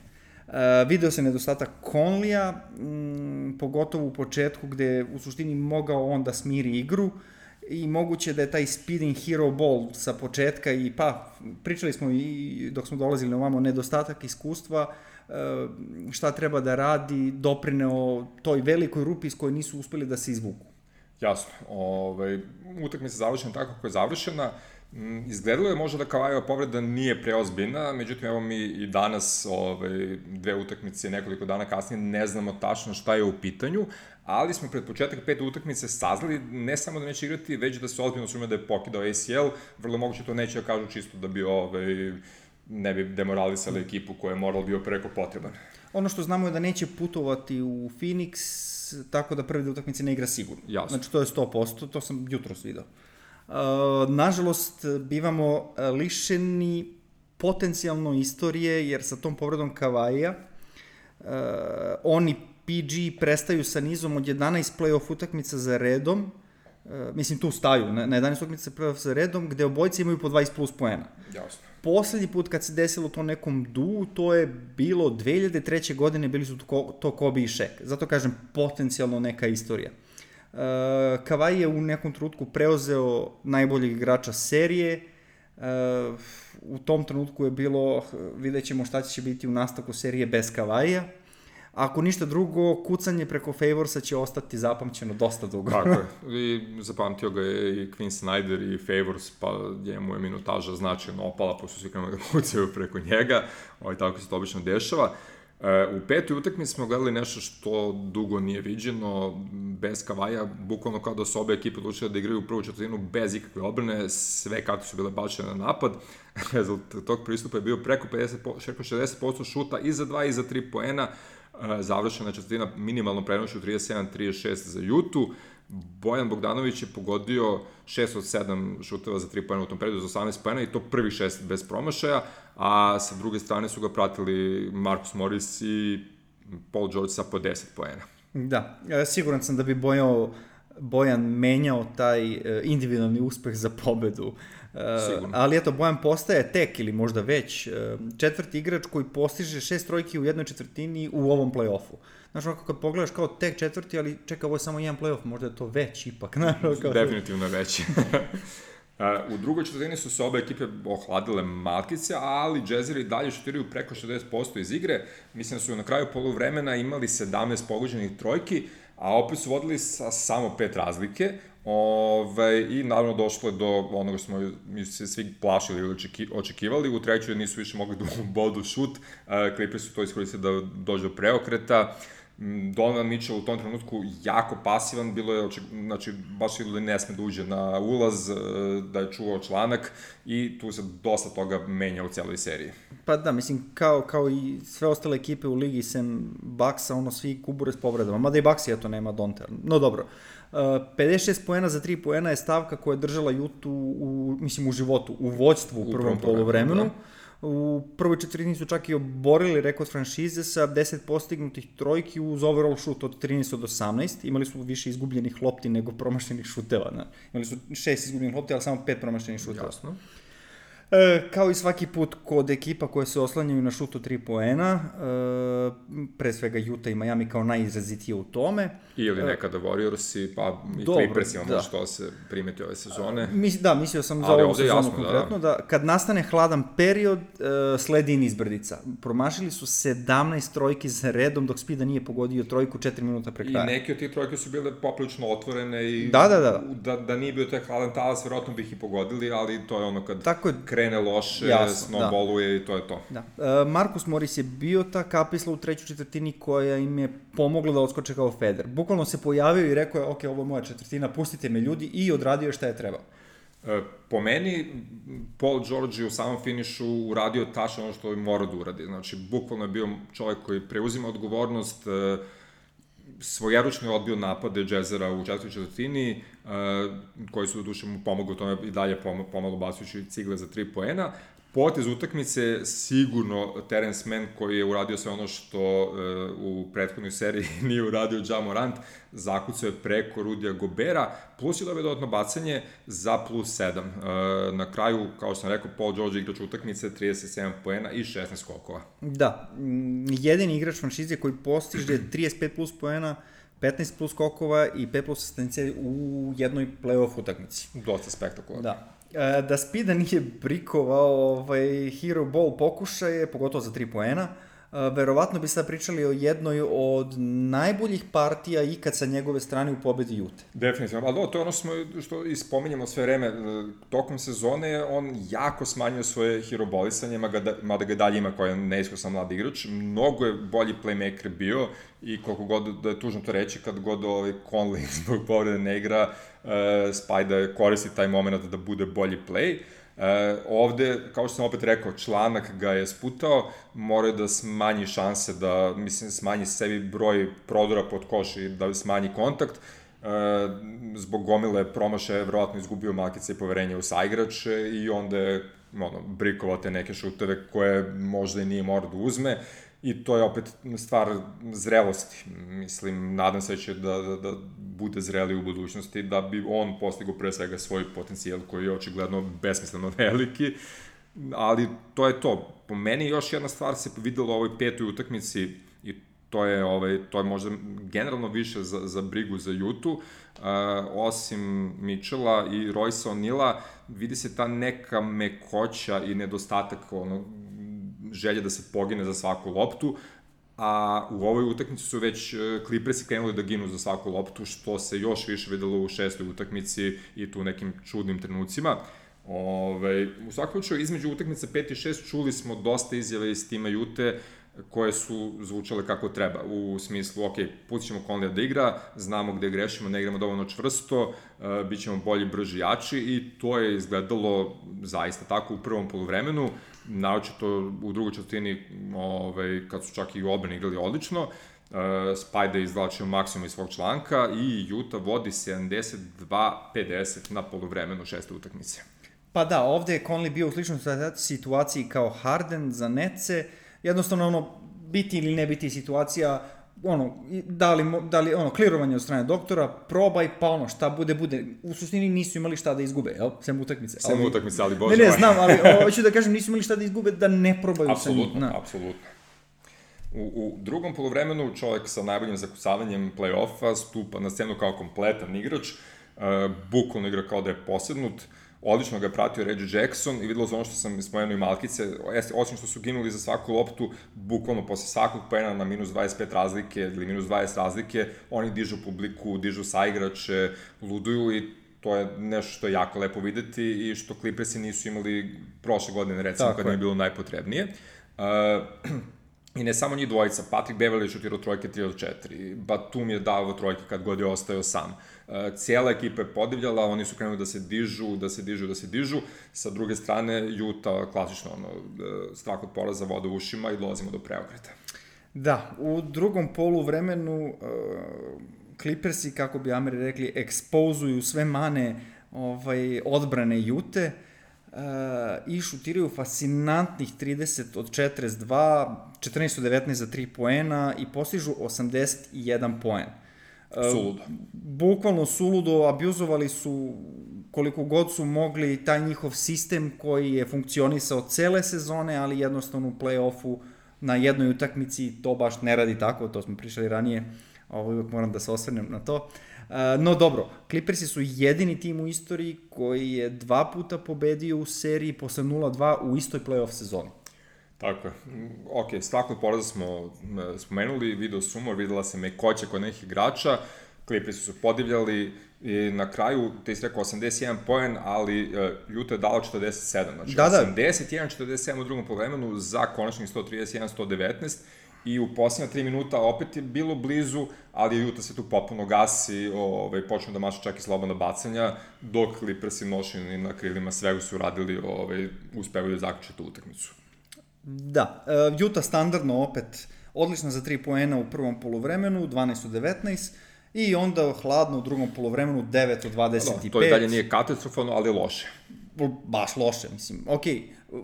Uh, video se nedostatak Conleya, um, pogotovo u početku gde u suštini mogao on da smiri igru i moguće da je taj speeding hero ball sa početka i pa pričali smo i dok smo dolazili na ovamo nedostatak iskustva, šta treba da radi, doprineo toj velikoj rupi s kojoj nisu uspeli da se izvuku. Jasno, ovaj, utakmica završena tako kako je završena. Izgledalo je možda da Kawhiova povreda nije preozbiljna, međutim evo mi i danas ovaj, dve utakmice nekoliko dana kasnije ne znamo tačno šta je u pitanju, ali smo pred početak pete utakmice saznali ne samo da neće igrati, već da se ozbiljno sumnja da je pokidao A C L, vrlo moguće to neće da kažu čisto da bi ovaj, ne bi demoralisali ekipu koja je moral bio preko potreban. Ono što znamo je da neće putovati u Phoenix, tako da prvi da utakmice ne igra sigurno. Jasno. Znači to je sto posto, to sam jutros video. Uh, nažalost, bivamo lišeni potencijalno istorije, jer sa tom povredom Kawhija uh, oni P G prestaju sa nizom od jedanaest play-off utakmica za redom, mislim tu staju, na, na jedanaest utakmica play-off za redom, gde obojice imaju po dvadeset plus poena. Jasno. Poslednji put kad se desilo to nekom du, to je bilo dve hiljade treće. godine, bili su to, to Kobe i Shaq. Zato kažem, potencijalno neka istorija. Uh, Kawhi je u nekom trenutku preuzeo najboljeg igrača serije. Uh, u tom trenutku je bilo, vidjet ćemo šta će biti u nastavku serije bez Kawhija. Ako ništa drugo, kucanje preko Favorsa će ostati zapamćeno dosta dugo. Tako je. I zapamtio ga je i Quinn Snyder i Favors, pa njemu je minutaža značajno opala, pošto svi krenuli da kucaju preko njega. Ovaj, tako se to obično dešava. U petoj utakmici smo gledali nešto što dugo nije viđeno, bez Kawhija, bukvalno kao da su obe ekipe odlučile da igraju u prvu četvrtinu bez ikakve odbrane, sve karte su bile bačene na napad. Rezultat tog pristupa je bio preko pedeset, šezdeset posto šuta i za dva i za tri poena, završena četvrtina minimalno prenošću trideset sedam trideset šest za Jutu. Bojan Bogdanović je pogodio šest od sedam šuteva za tri poena u tom periodu za osamnaest poena i to prvi šest bez promašaja, a sa druge strane su ga pratili Marcus Morris i Paul George sa po deset poena. Da, siguran sam da bi Bojan, Bojan menjao taj individualni uspeh za pobedu. Sigurno. Ali eto, Bojan postaje tek ili možda već četvrti igrač koji postiže šest trojki u jednoj četvrtini u ovom play-offu. Znaš, ovako kad pogledaš kao tek četvrti, ali čeka, ovo je samo jedan play-off, možda je to već ipak. Znaš, kao... Definitivno veći. U drugoj četvrtini su se obe ekipe ohladile malkice, ali Jazzeri dalje šutiraju preko šezdeset posto iz igre. Mislim da su na kraju poluvremena imali sedamnaest pogođenih trojki, a opet su vodili sa samo pet razlike. Ove, I naravno došlo je do onoga što smo mi se svi plašili ili očekivali. U trećoj nisu više mogli da bodu šut. Clippers su to iskoristili da dođe do preokreta. Donovan Mitchell u tom trenutku jako pasivan, bilo je, znači, baš ili ne sme da uđe na ulaz, da je čuvao članak i tu se dosta toga menja u celoj seriji. Pa da, mislim, kao, kao i sve ostale ekipe u ligi, sem Bucksa, ono, svi kubure s povredama, mada i Bucks je to nema Donte, no dobro. Uh, pedeset šest poena za tri poena je stavka koja je držala Jutu u, mislim, u životu, u vođstvu u prvom poluvremenu. Da. U prvoj četvrtini su čak i oborili rekord franšize sa deset postignutih trojki uz overall šut od trinaest od osamnaest. Imali su više izgubljenih lopti nego promašenih šuteva. Ne? Imali su šest izgubljenih lopti, ali samo pet promašenih šuteva. Jasno. E, kao i svaki put kod ekipa koje se oslanjaju na šut od tri poena, e, pre svega Utah i Miami kao najizrazitije u tome. Ili nekada Warriorsi, pa i Clippersi, ono što se primeti ove sezone. Mis, da, mislio sam za ovu sezonu jasno, konkretno, da. da kad nastane hladan period, e, sledi niz brdica. Promašili su sedamnaest trojki za redom, dok Spida nije pogodio trojku četiri minuta pre kraja. I neke od tih trojke su bile poprilično otvorene i da, da, da. Da, da nije bio taj hladan talas, verovatno bih i pogodili, ali to je ono kad... Tako je. Krene loše, snowballuje da. I to je to. Da. Uh, Marcus Morris je bio ta kapisla u trećoj četvrtini koja im je pomogla da odskoče kao Feder. Bukvalno se pojavio i rekao je, ok, ovo je moja četvrtina, pustite me ljudi, i odradio je šta je trebao. Uh, po meni, Paul George je u samom finišu uradio tačno ono što je morao da uradi. Znači, bukvalno je bio čovjek koji preuzima odgovornost, uh, svojeručno je odbio napade Jazzera u četvrtoj četvrtini, uh, koji su do duše mu pomogli u tome i dalje pomalo bacujući cigle za tri poena. Potez utakmice sigurno Terence Mann, koji je uradio sve ono što uh, u prethodnoj seriji nije uradio Ja Morant, zakucao je preko Rudija Gobera, plus je dobio dodatno bacanje za plus sedam. Uh, na kraju, kao što sam rekao, Paul George igrač utakmice, trideset sedam poena i šesnaest skokova. Da, jedini igrač franšize koji postiže trideset pet plus poena, petnaest plus skokova i pet plus asistencije u jednoj play-off utakmici. Dosta spektakularno. Da. Da Spida nije brikovao ovaj, hero ball pokušaje, pogotovo za tri poena, verovatno bi sad pričali o jednoj od najboljih partija ikad sa njegove strane u pobedi Jute. Definitivno, ali to je ono smo, što ispominjamo sve vreme. Tokom sezone on jako smanjio svoje herobolisanje, mada ga dalje ima koja je neiskusan mlad igrač. Mnogo je bolji playmaker bio i koliko god da je tužno to reći, kad god ovaj Conley zbog povrede ne igra, uh, Spida koristi taj moment da bude bolji play. Uh, ovde, kao što sam opet rekao, članak ga je sputao, moraju da smanji šanse, da, mislim, smanji sebi broj prodora pod koš i da smanji kontakt. Uh, zbog gomile promašaja je verovatno izgubio malkice i poverenje u saigrače i onda je ono, brikovao te neke šuteve koje možda i nije morao da uzme. i to je opet stvar zrelosti. Mislim, nadam se će da, da, da bude zreli u budućnosti, da bi on postigao pre svega svoj potencijal koji je očigledno besmisleno veliki, ali to je to. Po meni još jedna stvar se videla u ovoj petoj utakmici i to je, ovaj, to je možda generalno više za, za brigu za Jutu, uh, osim Mitchella i Royce O'Neala, vidi se ta neka mekoća i nedostatak ono, želje da se pogine za svaku loptu, a u ovoj utakmici su već Clippersi krenuli da ginu za svaku loptu, što se još više videlo u šestoj utakmici i tu nekim čudnim trenucima. Ove, u svakom slučaju, između utakmice pet i šest čuli smo dosta izjave iz tima Jute koje su zvučale kako treba, u smislu, ok, pustit ćemo Conleya da igra, znamo gde grešimo, ne igramo dovoljno čvrsto, uh, bit ćemo bolji, brži, jači i to je izgledalo zaista tako u prvom poluvremenu, naročito u drugoj četvrtini, ovaj, kad su čak i u odbrani igrali odlično, uh, Spajda je izvlačio maksimum iz svog članka i Utah vodi sedamdeset dva pedeset na poluvremenu šeste utakmice. Pa da, ovde je Conley bio u sličnoj situaciji kao Harden za Netce, jednostavno ono, biti ili ne biti situacija, ono, da li, da li ono, klirovanje od strane doktora, probaj, pa ono, šta bude, bude. U suštini nisu imali šta da izgube, jel? Sem utakmice. Sem ali, utakmice, ali bože. Ne, ne, znam, ali hoću da kažem, nisu imali šta da izgube, da ne probaju apsolutno, sa njim. Apsolutno, apsolutno. U, u drugom polovremenu čovjek sa najboljim zakucavanjem play-offa stupa na scenu kao kompletan igrač, uh, bukvalno igra kao da je posednut, odlično ga je pratio Reggie Jackson i videlo se ono što sam spomenuo i Malkice, osim što su ginuli za svaku loptu, bukvalno posle svakog poena na minus dvadeset pet razlike ili minus dvadeset razlike, oni dižu publiku, dižu saigrače, luduju i to je nešto što je jako lepo videti i što Clippersi nisu imali prošle godine, recimo, tako kad je bilo najpotrebnije. Uh, I ne samo njih dvojica, Patrick Beverley je šutirao trojke tri od četiri, Batum je dao trojke kad god je ostao sam. Cijela ekipa je podivljala, oni su krenuli da se dižu, da se dižu, da se dižu. Sa druge strane, Utah klasično, ono, strah od poraza, voda u ušima i dolazimo do preokreta. Da, u drugom polu vremenu uh, Clippersi, kako bi Ameri rekli, ekspozuju sve mane ovaj, odbrane Jute. Uh, i šutiraju fascinantnih trideset od četrdeset dva, četrnaest od devetnaest za tri poena i postižu osamdeset jedan poen. Uh, suludo. Bukvalno suludo, abuzovali su koliko god su mogli taj njihov sistem koji je funkcionisao cele sezone, ali jednostavno u play-offu na jednoj utakmici to baš ne radi tako, to smo pričali ranije, ovo uvijek moram da se osvrnem na to. Uh, no dobro, Clippersi su jedini tim u istoriji koji je dva puta pobedio u seriji posle nula dva u istoj play-off sezoni. Tako je. Ok, svakog poraza smo spomenuli, video sumor, videla se mekoća kod nekih igrača, Clippersi su podivljali i na kraju, te si rekao osamdeset jedan poen, ali uh, Utah je dala četrdeset sedam, znači da, da. osamdeset jedan četrdeset sedam u drugom poluvremenu za konačnih sto trideset jedan sto devetnaest. I u posljednja tri minuta opet je bilo blizu, ali Utah se tu potpuno gasi, ovaj, počnu da mašu čak i slobodna bacanja, dok Clippersi nošeni na krilima svega su radili, ovaj, uspevaju da zaključe tu utakmicu. Da, uh, Utah standardno opet odlična za tri poena u prvom poluvremenu, dvanaest od devetnaest, i onda hladno u drugom poluvremenu, devet od dvadeset pet. Da, to i dalje nije katastrofalno, ali loše. Baš loše, mislim. Okej, okay.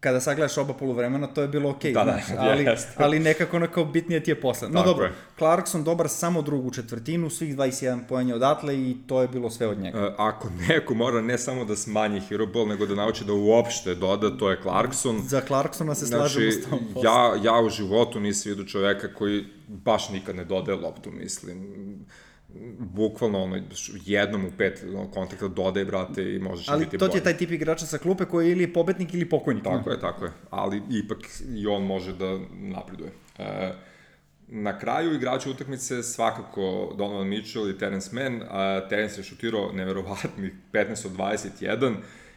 Kada sagledaš oba poluvremena, to je bilo okej, okay, da, znaš, ali, ali nekako onako bitnije ti je posle. No dobro, je. Clarkson dobar samo drugu četvrtinu, svih dvadeset jedan poena odatle i to je bilo sve od njega. Uh, ako neko mora ne samo da smanji hero ball, nego da nauči da uopšte doda, to je Clarkson. Za Clarksona se slažemo znači, s tom posle. Ja, ja u životu nisam vidio čoveka koji baš nikad ne dodaje loptu, mislim. Bukvalno ono, jednom u pet kontakta dodaj, brate, i možeš ali biti bolji. Ali to ti je taj tip igrača sa klupe koji je ili pobednik ili pokojnik. Tako je, tako je, ali ipak i on može da napreduje. E, na kraju igrača utakmice svakako Donovan Mitchell i Terence Mann. A Terence je šutirao neverovatnih petnaest od dvadeset jedan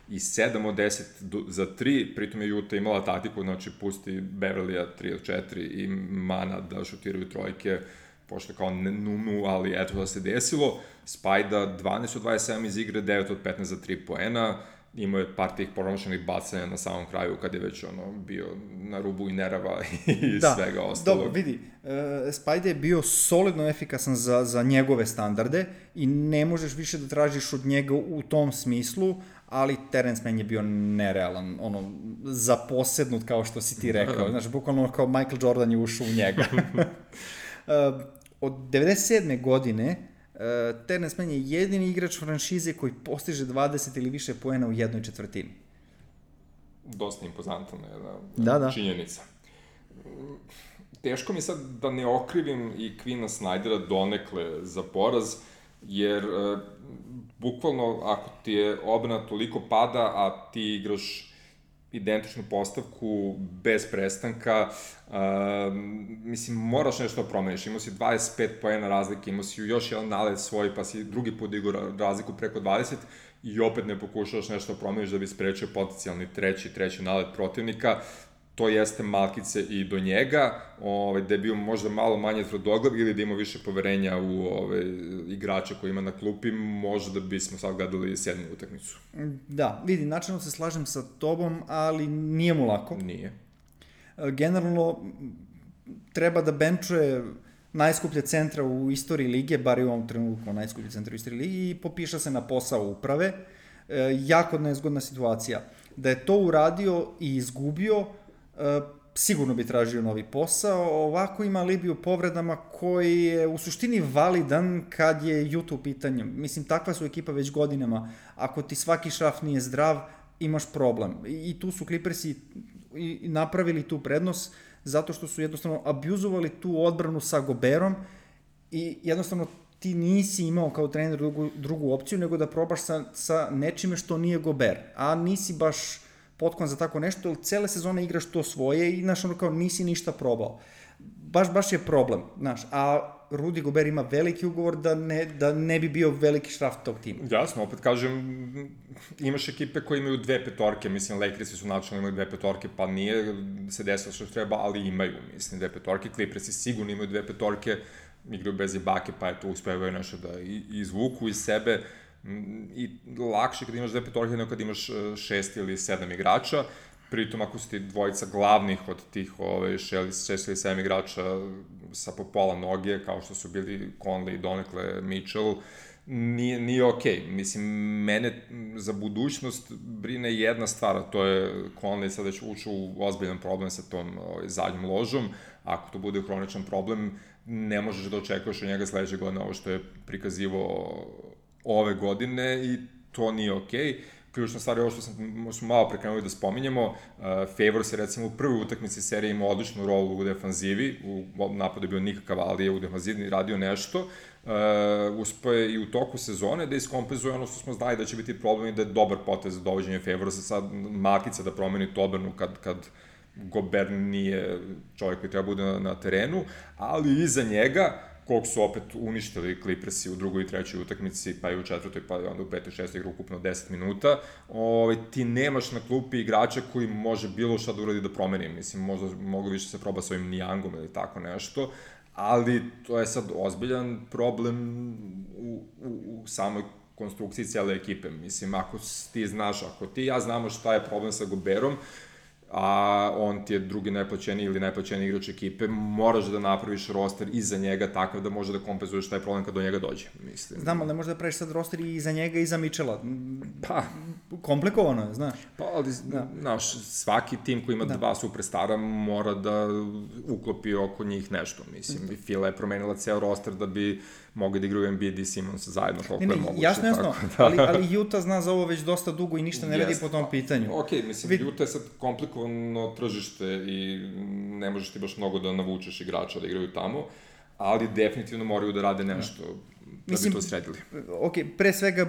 i sedam od deset za tri, pritom je Utah imala taktiku, znači pusti Beverleya tri od četiri i Mana da šutiraju trojke, pošto kao numu, ali eto da se desilo. Spajda dvanaest od dvadeset sedam iz igre, devet od petnaest za tri poena imao je par tih promašenih bacanja na samom kraju, kad je već ono, bio na rubu i nerava i da, svega ostalog. Dobro, vidi, uh, Spajde je bio solidno efikasan za, za njegove standarde i ne možeš više da tražiš od njega u tom smislu, ali Terence Mann je bio nerealan, ono, zaposednut kao što si ti rekao, znaš, bukvalno kao Michael Jordan je ušao u njega. uh, od devedeset sedme godine uh, Terence Mann je jedini igrač franšize koji postiže dvadeset ili više poena u jednoj četvrtini. Dosta impozantna jedna da, da. činjenica. Teško mi sad da ne okrivim i Quina Snydera donekle za poraz, jer uh, bukvalno ako ti je odbrana toliko pada, a ti igraš identičnu postavku bez prestanka, uh, mislim, moraš nešto da promeniš. Imao si dvadeset pet poena razlike, imao si još jedan nalet svoj, pa si drugi put igrao razliku preko dvadeset i opet ne pokušavaš nešto da promeniš da bi sprečio potencijalni treći, treći nalet protivnika. To jeste malkice i do njega, ovaj, da je bio možda malo manje tvrdoglav ili da ima više poverenja u ovaj, igrača koji ima na klupi, možda bismo sad gledali sedmu utakmicu. Da, vidi, načelno se slažem sa tobom, ali nije mu lako. Nije. Generalno, treba da benčuje najskuplje centra u istoriji lige, bar i u ovom trenutku najskuplje centra u istoriji lige, i popiša se na posao uprave. E, jako nezgodna situacija. Da je to uradio i izgubio, Uh, sigurno bi tražio novi posao, ovako ima alibi u povredama koji je u suštini validan kad je Utah u pitanju. Mislim, takva su ekipa već godinama. Ako ti svaki šraf nije zdrav, imaš problem. I tu su Clippersi i napravili tu prednost zato što su jednostavno abuzovali tu odbranu sa Goberom i jednostavno ti nisi imao kao trener drugu, drugu opciju nego da probaš sa, sa nečime što nije Gober, a nisi baš potkovan za tako nešto, jer cele sezone igraš to svoje i, znaš, ono kao nisi ništa probao. Baš, baš je problem, znaš, a Rudy Gobert ima veliki ugovor da ne, da ne bi bio veliki šraf tog tima. Jasno, opet kažem, imaš ekipe koje imaju dve petorke, mislim, Lakersi su načalno imali dve petorke, pa nije se desilo što treba, ali imaju, mislim, dve petorke, Clippersi sigurno imaju dve petorke, igraju bez Ibake, pa eto, uspevaju nešto da izvuku iz sebe, i lakše kad imaš dve petorke nego kad imaš šest ili sedam igrača, pritom ako su ti dvojica glavnih od tih ove, šest ili sedam igrača sa po pola noge, kao što su bili Conley i donekle Mitchell, nije, nije okej. Okay. Mislim, mene za budućnost brine jedna stvar, a to je Conley sad već ušao u ozbiljan problem sa tom ovaj, zadnjom ložom. Ako to bude hroničan problem, ne možeš da očekuješ od njega sledeće godine ovo što je prikazivao ove godine i to nije okej. Okay. Ključna stvar je ovo što sam, smo malo prekrenuli da spominjemo. Uh, Favors je recimo u prvoj utakmici serije imao odličnu rolu u defanzivi, u napadu je bio nikakav, ali je u defanzivi radio nešto. Uh, uspio je i u toku sezone da iskompenzuje ono što smo znali da će biti problem i da je dobar potez za dovođenje Favorsa, sad makica da promeni tu odbranu kad, kad Gobert nije čovjek koji treba bude na, na terenu, ali iza njega koliko su opet uništili Clippersi u drugoj i trećoj utakmici, pa i u četvrtoj, pa i onda u petoj, šestoj igru ukupno deset minuta, ovaj, ti nemaš na klupi igrača koji može bilo šta da uradi da promeni, mislim, možda mogu više se proba s ovim Nijangom ili tako nešto, ali to je sad ozbiljan problem u, u, u samoj konstrukciji cijele ekipe, mislim, ako ti znaš, ako ti ja znamo šta je problem sa Goberom, a on ti je drugi najplaćeniji ili najplaćeniji igrač ekipe, moraš da napraviš roster iza njega takav da može da kompenzuješ taj problem kad do njega dođe, mislim. Znam, ali ne možeš da praviš sad roster i iza njega i iza Mitchella. Pa. Komplikovano je, znaš. Pa, ali, da. Znaš, svaki tim koji ima da. dva superstara mora da uklopi oko njih nešto, mislim. I Fila je promenila ceo roster da bi mogli da igraju Embiid i Simmons zajedno koliko ne, ne, je moguće. Jasno, jasno, da. ali, ali Utah zna za ovo već dosta dugo i ništa ne radi po tom pitanju. Ok, mislim, Vid... Utah je sad komplikovano tržište i ne možeš ti baš mnogo da navučeš igrača da igraju tamo, ali definitivno moraju da rade nešto da mislim, bi to sredili. Ok, pre svega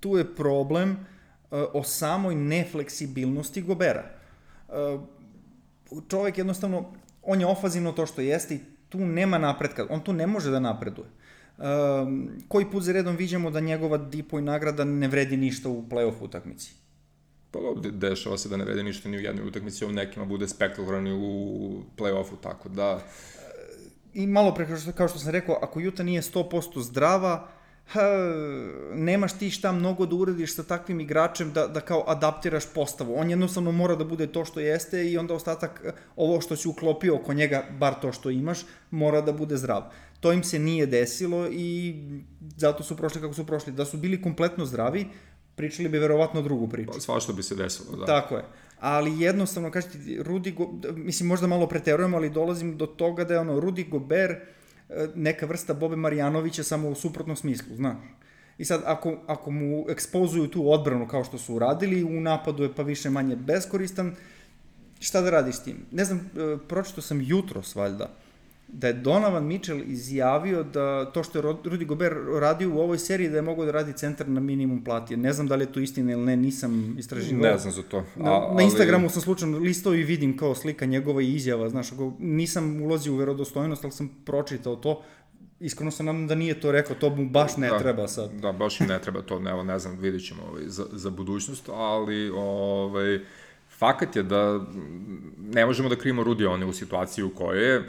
tu je problem uh, o samoj nefleksibilnosti Gobera. Uh, čovjek jednostavno, on je ofazivno to što jeste i tu nema napretka, on tu ne može da napreduje. Um, koji put za redom viđamo da njegova dipo i nagrada ne vredi ništa u play-off utakmici? Pa ovdje dešava se da ne vredi ništa ni u jednoj utakmici, u nekima bude spektakularni u play-offu, tako da... I malo pre, kao što sam rekao, ako Utah nije sto posto zdrava, ha, nemaš ti šta mnogo da uradiš sa takvim igračem da, da kao adaptiraš postavu. On jednostavno mora da bude to što jeste i onda ostatak, ovo što si uklopio oko njega, bar to što imaš, mora da bude zdrav. To im se nije desilo i zato su prošli kako su prošli. Da su bili kompletno zdravi, pričali bi verovatno drugu priču. Svašta bi se desilo, da. Tako je. Ali jednostavno, kažete, Rudy Go... mislim, možda malo preterujemo, ali dolazim do toga da je ono, Rudy Gobert neka vrsta Bobe Marjanovića samo u suprotnom smislu, znaš. I sad, ako, ako mu ekspozuju tu odbranu kao što su uradili, u napadu je pa više manje beskoristan, šta da radiš s tim? Ne znam, pročito sam jutros, valjda, da je Donovan Mitchell izjavio da to što je Rudy Gobert radio u ovoj seriji da je mogao da radi centar na minimum plati. Ne znam da li je to istina ili ne, nisam istraživao. Ne znam za to. A, na, na Instagramu sam slučajno listao i vidim kao slika njegova i izjava, znaš, ako nisam ulazio u verodostojnost, ali sam pročitao to. Iskreno sam nam da nije to rekao, to mu baš ne da, treba sad. Da, baš ne treba to, ne, ne znam, vidit ćemo ovaj, za, za budućnost, ali ovaj, fakat je da ne možemo da krivimo Rudy one u situaciji u kojoj je.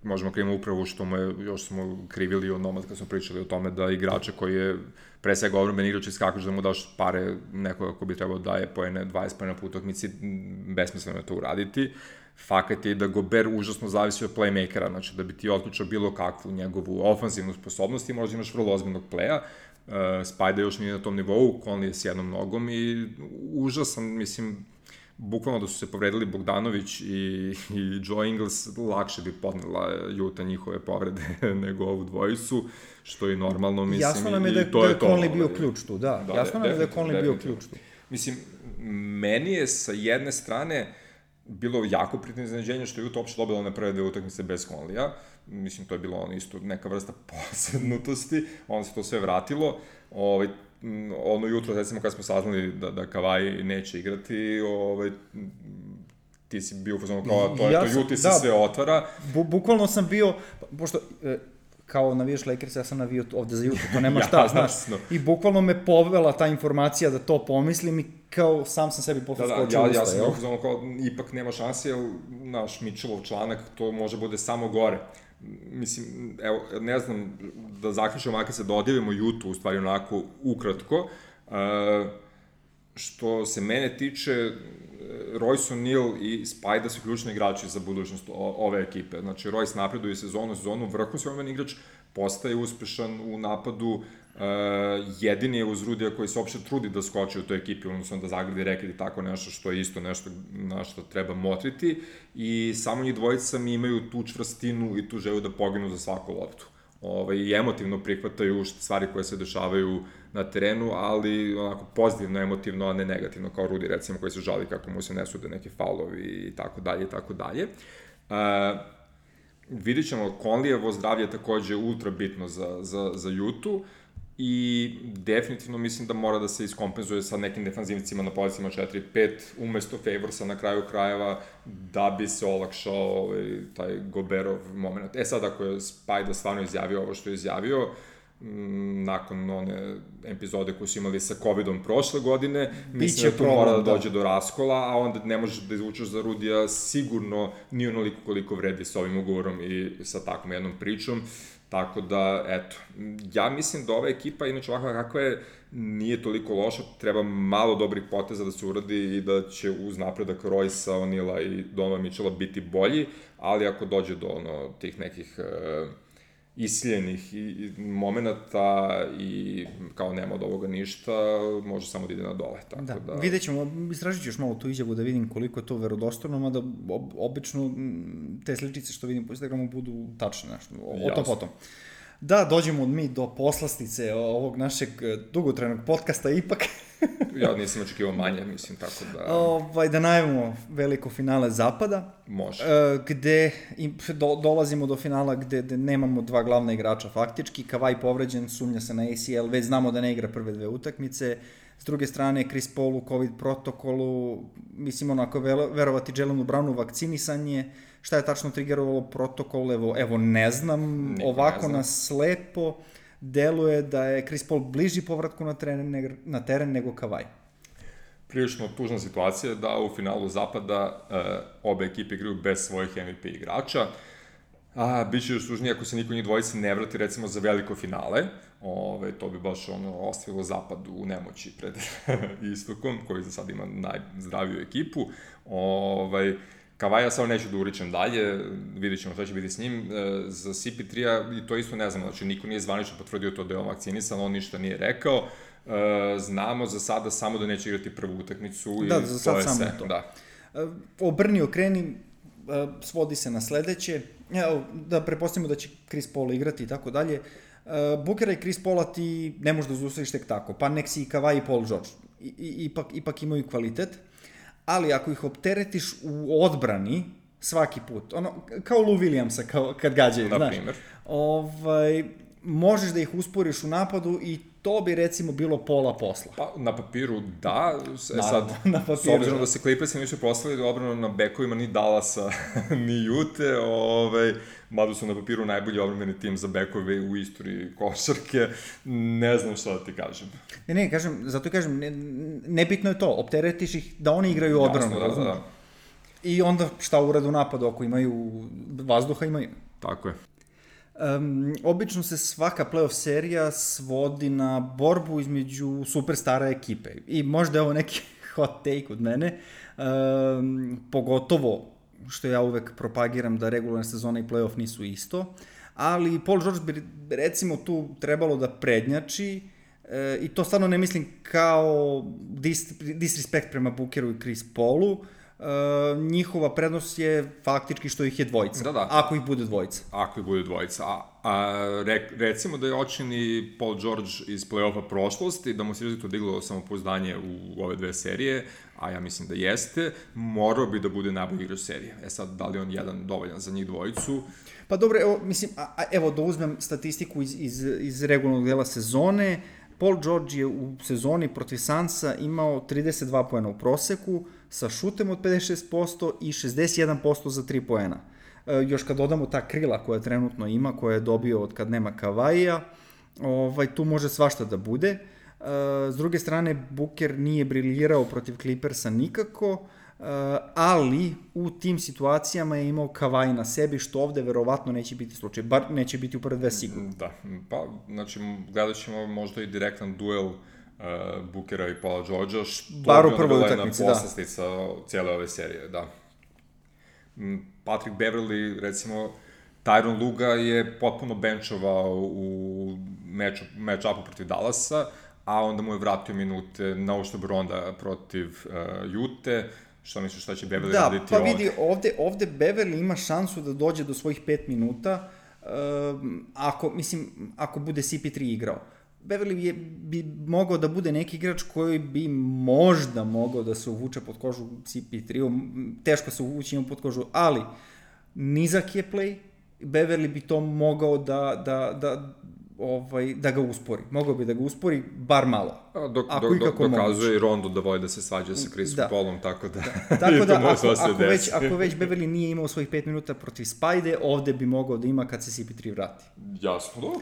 Možemo krivimo upravo što mu je, još smo krivili onomad kad smo pričali o tome da igrača koji je pre svega odbrambeni igrač iskakaš da mu daš pare nekoga ko bi trebao da daje poene dvadeset poena po utakmici, besmisleno je to uraditi. Fakat je da Gobert užasno zavisi od playmakera, znači da bi ti otključao bilo kakvu njegovu ofanzivnu sposobnost i možda imaš vrlo ozbiljnog playa. Uh, Spajda još nije na tom nivou, Conley je s jednom nogom i užasan, mislim, bukvalno da su se povredili Bogdanović i, i Joe Ingles, lakše bi podnela Utah njihove povrede nego ovu dvojicu, što je normalno, mislim. Jasno nam je da je, da je Conley bio ključ tu, da. da Jasno nam je da je Conley bio ključ tu. Mislim, meni je sa jedne strane bilo jako prijatno iznenađenje što je Utah uopšte dobila na prve dve utakmice bez Conleya. Mislim, to je bilo ono isto neka vrsta posebnutosti, onda se to sve vratilo. Ovaj, ono jutro, recimo, kad smo saznali da, da Kawhi neće igrati, ovaj, ti si bio u fazonu kao, to je ja to, Juti se da, sve otvara. Bu, bukvalno sam bio, pošto, e, kao navijaš Lakers, ja sam navio ovde za Jutu, to nema šta, znaš. I bukvalno me povela ta informacija da to pomislim i kao sam sam sebi posle skočio da, da, usta, ja, ja sam bio u fazonu kao, ipak nema šanse, jer naš Mitchellov članak, to može bude samo gore. Mislim, evo, ne znam, da zaključamo, ako se dodjelimo Jutu, u stvari onako ukratko, uh, što se mene tiče, Royce O'Neal i Spajda su ključni igrači za budućnost ove ekipe. Znači, Royce napreduje sezonu, sezonu, vrhunski odbrambeni igrač, postaje uspešan u napadu, uh, jedini je uz Rudija koji se uopšte trudi da skoči u toj ekipi, odnosno da zagradi reket i tako nešto što je isto nešto na što treba motriti i samo njih dvojica mi imaju tu čvrstinu i tu želju da poginu za svaku loptu. Ovaj, i emotivno prihvataju stvari koje se dešavaju na terenu, ali onako pozitivno, emotivno, a ne negativno, kao Rudy, recimo, koji se žali kako mu se ne sude neki faulovi i tako dalje i tako dalje. Uh, vidit ćemo, Conleyevo zdravlje je takođe ultra bitno za, za, za Jutu i definitivno mislim da mora da se iskompenzuje sa nekim defanzivcima na pozicima četiri pet umesto Favorsa na kraju krajeva da bi se olakšao ovaj, taj Goberov moment. E sad, ako je Spajda stvarno izjavio ovo što je izjavio, m, nakon one epizode koje su imali sa covidom prošle godine, mislim da tu mora da dođe do raskola, a onda ne možeš da izvučeš za Rudija sigurno ni onoliko koliko vredi sa ovim ugovorom i sa takvom jednom pričom. Tako da, eto, ja mislim da ova ekipa, inače ovakva kakva je, nije toliko loša, treba malo dobrih poteza da se uradi i da će uz napredak Royce-a, O'Neala i Donovan Mitchella biti bolji, ali ako dođe do ono, tih nekih uh, isiljenih i, i momenta i kao nema od ovoga ništa, može samo da ide na dole. Tako da, da... vidjet ćemo, istražit ću još malo tu izjavu da vidim koliko je to verodostojno, mada ob, obično te sličice što vidim po Instagramu budu tačne, nešto, o, o tom potom. Da, dođemo mi do poslastice ovog našeg dugotrajnog podcasta ipak. Ja nisam očekivao manje, mislim, tako da... Ovaj, da najavimo veliko finale Zapada. Može. Gde do, dolazimo do finala gde, gde nemamo dva glavna igrača faktički. Kawhi povređen, sumnja se na A C L, već znamo da ne igra prve dve utakmice. S druge strane, Chris Paul u COVID protokolu, mislim, onako, verovati Jelenu Brownu vakcinisanje. Šta je tačno triggerovalo protokol, evo, evo ne znam, Niko ovako ne znam. Nas slepo deluje da je Chris Paul bliži povratku na teren, na teren nego Kawhi. Prilično tužna situacija da u finalu Zapada uh, obe ekipe igraju bez svojih M V P igrača. A, bit će još tužnije ako se niko njih dvojice ne vrati, recimo, za veliko finale. Ove, to bi baš ono, ostavilo zapad u nemoći pred istokom, koji za sad ima najzdraviju ekipu. Ove, Kavaja samo neću da uričem dalje, vidjet ćemo šta će biti s njim. E, za C P tri-a i to isto ne znamo, znači niko nije zvanično potvrdio to da je on vakcinisan, on ništa nije rekao. E, znamo za sada samo da neće igrati prvu utakmicu i da, za sad to je samo sve. to. Da. E, obrni, okreni, svodi se na sledeće. Evo, da prepostavimo da će Chris Paul igrati i tako dalje. Bookera i Chris Paula ti ne možeš da zaustaviš tek tako, pa nek si i Kawhi i Paul George. I, i, ipak, ipak imaju kvalitet, ali ako ih opteretiš u odbrani svaki put, ono, kao Lou Williamsa kao, kad gađaju, na znaš, primjer. Ovaj, možeš da ih usporiš u napadu i to bi recimo bilo pola posla. Pa, na papiru da, e, Naravno, sad, na papiru, s obzirom da, da se Clippersi nisu proslavili obranu na bekovima ni Dallasa, ni Ute, ovaj, mada su na papiru najbolji obrambeni tim za bekove u istoriji košarke, ne znam šta da ti kažem. Ne, ne, kažem, zato kažem, ne, nebitno je to, opteretiš ih da oni igraju odbranu. Jasno, da, da, da. I onda šta urade u napadu, ako imaju vazduha, imaju. Tako je. Um, obično se svaka playoff serija svodi na borbu između superstara ekipe. I možda je ovo neki hot take od mene, um, pogotovo što ja uvek propagiram da regularna sezona i playoff nisu isto, ali Paul George bi recimo tu trebalo da prednjači, e, i to stvarno ne mislim kao dis, disrespekt prema Bookeru i Chris Paulu. Uh, njihova prednost je faktički što ih je dvojica, da, da. Ako ih bude dvojica. Ako ih bude dvojica. A, a re, recimo da je očini Paul George iz play-offa prošlosti, da mu se izrazito diglo samopouzdanje u ove dve serije, a ja mislim da jeste, morao bi da bude najbolji igrač serije. E sad, da li on jedan dovoljan za njih dvojicu? Pa dobro, evo, mislim, a, a, evo da uzmem statistiku iz, iz, iz regularnog dela sezone. Paul George je u sezoni protiv Sunsa imao trideset dva poena u proseku, sa šutem od pedeset šest posto i šezdeset jedan posto za tri poena. E, još kad dodamo ta krila koja trenutno ima, koja je dobio od kad nema Kavaija, ovaj, tu može svašta da bude. E, s druge strane, Booker nije briljirao protiv Clippersa nikako, e, ali u tim situacijama je imao Kawhi na sebi, što ovde verovatno neće biti slučaj, bar neće biti u prve dve sigurno. Da, pa, znači, gledat ćemo možda i direktan duel Uh, Bookera i Paula Georgea, što bar u bi prvoj onda bila utakmici, jedna da. poslastica cijele ove serije, da. Patrick Beverley, recimo, Tyronn Luga je potpuno benchovao u meču, match-upu protiv Dallasa, a onda mu je vratio minute na uštrb Ronda protiv uh, Jute. Šta misliš šta će Beverley da, raditi ovde? ovde? Da, pa vidi, ovde, ovde Beverley ima šansu da dođe do svojih pet minuta, um, ako, mislim, ako bude C P tri igrao. Beverley je, bi mogao da bude neki igrač koji bi možda mogao da se uvuče pod kožu C P tri, teško se uvući ima pod kožu, ali nizak je play, Beverley bi to mogao da, da, da, ovaj, da ga uspori. Mogao bi da ga uspori bar malo. A, dok, ako dok, ikako dok, dokazuje moguće. i Rondo da voli da se svađa sa Chrisom da. Paulom, tako da, da. Tako da, ako, ako, ako, već, ako već Beverley nije imao svojih pet minuta protiv Spajde, ovde bi mogao da ima kad se C P tri vrati. Jasno, dobro.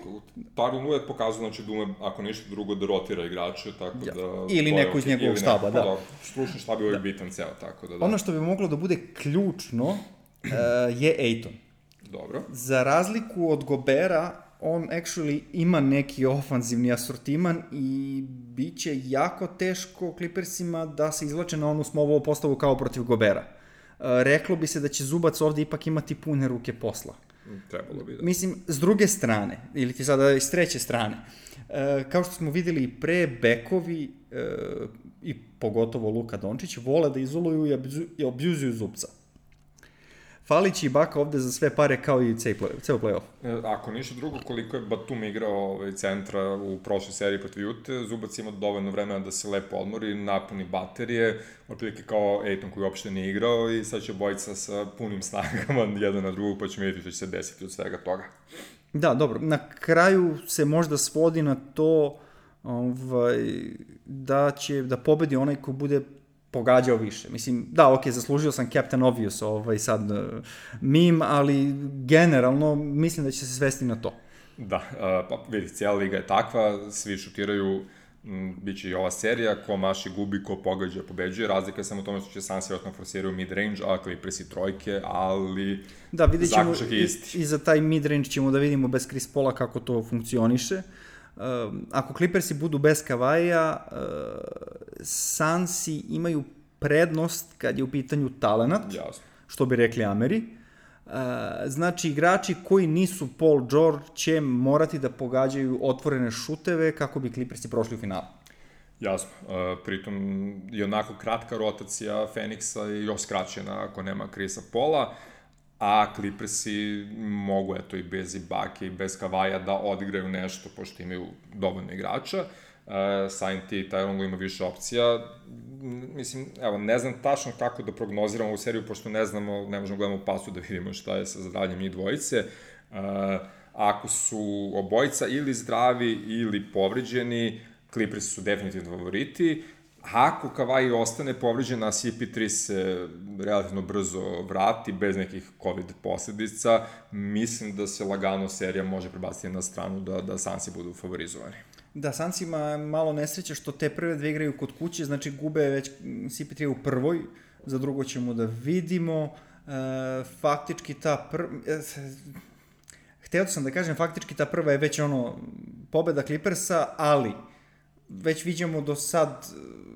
Tyronn Lue je pokazao, znači, da ume, ako ništa drugo, da rotira igrače, tako ja. da... Ili neko iz njegovog štaba, neko, da. da. Stručni štab je uvijek da. bitan ceo, tako da... da. Ono što bi moglo da bude ključno uh, je Ayton. Dobro. Za razliku od Gobera, on actually ima neki ofanzivni asortiman i bit će jako teško Clippersima da se izvlače na onu smovu postavu kao protiv Gobera. Uh, reklo bi se da će Zubac ovde ipak imati pune ruke posla. Trebalo bi da. Mislim, s druge strane, ili ti sada iz treće strane, uh, kao što smo videli i pre, bekovi uh, i pogotovo Luka Dončić vole da izoluju i, abzu, i objuzuju Zubca. Falić i Baka ovde za sve pare kao i ceo play-off. Ako ništa drugo, koliko je Batum igrao ovaj, centra u prošloj seriji protiv Jute, Zubac ima dovoljno vremena da se lepo odmori, napuni baterije, otprilike kao Ayton koji uopšte nije igrao i sad će bojica sa punim snagama jedan na drugog, pa ćemo vidjeti što će se desiti od svega toga. Da, dobro. Na kraju se možda svodi na to ovaj, da će da pobedi onaj ko bude pogađao više. Mislim, da, ok, zaslužio sam Captain Obvious ovaj sad uh, meme, ali generalno mislim da će se svesti na to. Da, uh, pa vidi, cijela liga je takva, svi šutiraju biće i ova serija, ko maši gubi, ko pogađa, pobeđuje. Razlika je samo u tome što će Suns vjerojatno forsiraju mid-range, a Clippersi trojke, ali da, vidjet ćemo zaključak je isti. I, i za taj mid-range ćemo da vidimo bez Chris Paula kako to funkcioniše. Uh, ako Clippersi budu bez Kavaija, uh, Sunsi imaju prednost kad je u pitanju talenat, Jasno. što bi rekli Ameri. Uh, znači, igrači koji nisu Paul George će morati da pogađaju otvorene šuteve kako bi Clippersi prošli u finalu. Jasno, uh, pritom je onako kratka rotacija Phoenixa i još skraćena ako nema Chrisa Paula, a Clippersi mogu, eto, i bez Ibake i bez Kavaja da odigraju nešto, pošto imaju dovoljno igrača. Uh, Sain ti Tyronn ima više opcija. Mislim, evo, ne znam tačno kako da prognoziramo ovu seriju, pošto ne znamo, ne možemo gledamo pasu da vidimo šta je sa zdravljem njih dvojice. Uh, ako su obojica ili zdravi ili povređeni, Clippersi su definitivno favoriti. Ako Kawhi ostane povređen, a C P tri se relativno brzo vrati, bez nekih COVID posledica, mislim da se lagano serija može prebaciti na stranu da, da Sunsi budu favorizovani. Da, Suns ima malo nesreće što te prve dve igraju kod kuće, znači gube već C P tri u prvoj, za drugo ćemo da vidimo. E, faktički ta prva... E, hteo sam da kažem, faktički ta prva je već ono pobeda Clippersa, ali već vidimo do sad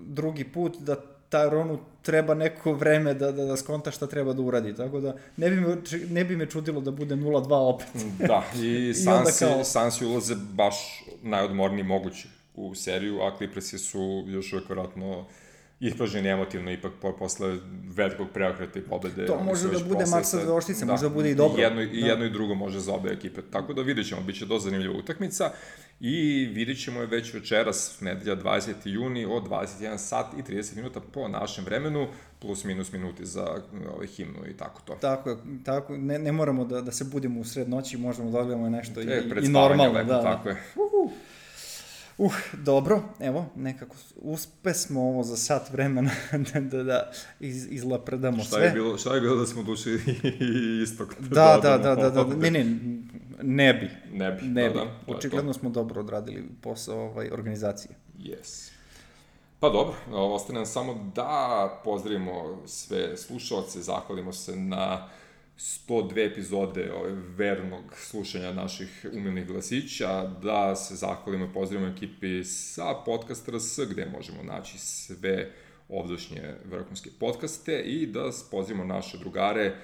drugi put da Tyronu treba neko vreme da, da, da skonta šta treba da uradi, tako da ne bi me, ne bi me čudilo da bude nula dva opet. Da, i Sunsi, kao... Sunsi ulaze baš najodmorniji mogući u seriju, a Clippersi su još uvijek vjerojatno ispražnjeni emotivno ipak posle velikog preokreta i pobede. To može da bude mač sa oštice, može da bude i dobro. I jedno, i, jedno i drugo može za obe ekipe. Tako da vidjet ćemo, bit će dosta zanimljiva utakmica i vidjet ćemo je već večeras, nedelja dvadeseti juni od dvadeset jedan sat i trideset minuta po našem vremenu, plus minus minuti za ovaj, himnu i tako to. Tako je, tako, ne, ne moramo da, da se budemo u sred noći, možemo da odgledamo nešto e, i, i normalno. Lepo, da, tako je. Uhu. Uh, dobro, evo, nekako uspe smo ovo za sat vremena da, da, da iz, izlapredamo šta sve. Je bilo, šta je bilo da smo duši istog? Da, da, da, da, da, ne, ne, ne bi. Ne bi, ne da, bi. da. Očigledno smo dobro odradili posao ovaj, organizacije. Yes. Pa dobro, ostane nam samo da pozdravimo sve slušalce, zahvalimo se na sto dve epizode ove vernog slušanja naših umilnih glasića, da se zahvalimo i pozdravimo ekipi sa Podcast R S, gde možemo naći sve ovdašnje vrhunske podcaste i da pozdravimo naše drugare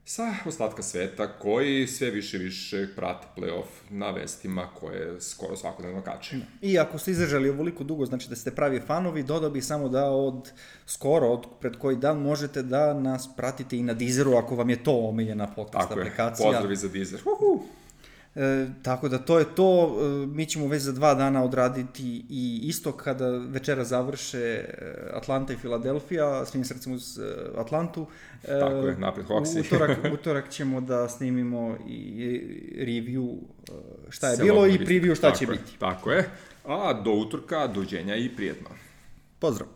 sa ostatka sveta koji sve više i više prate play-off na vestima koje skoro svakodnevno kače. I ako ste izdržali ovoliko dugo, znači da ste pravi fanovi, dodao bih samo da od skoro, od pred koji dan možete da nas pratite i na Deezeru ako vam je to omiljena podcast tako aplikacija. Tako je, pozdravi za Deezer. Uhu. E, tako da to je to, e, mi ćemo već za dva dana odraditi i isto kada večera završe Atlanta i Filadelfija, svim srcem uz Atlantu. E, tako je, napred Hawksi. Utorak, utorak ćemo da snimimo i review šta je bilo i preview šta tako će je, biti. Tako je, a do utorka, dođenja i prijetno. Pozdrav!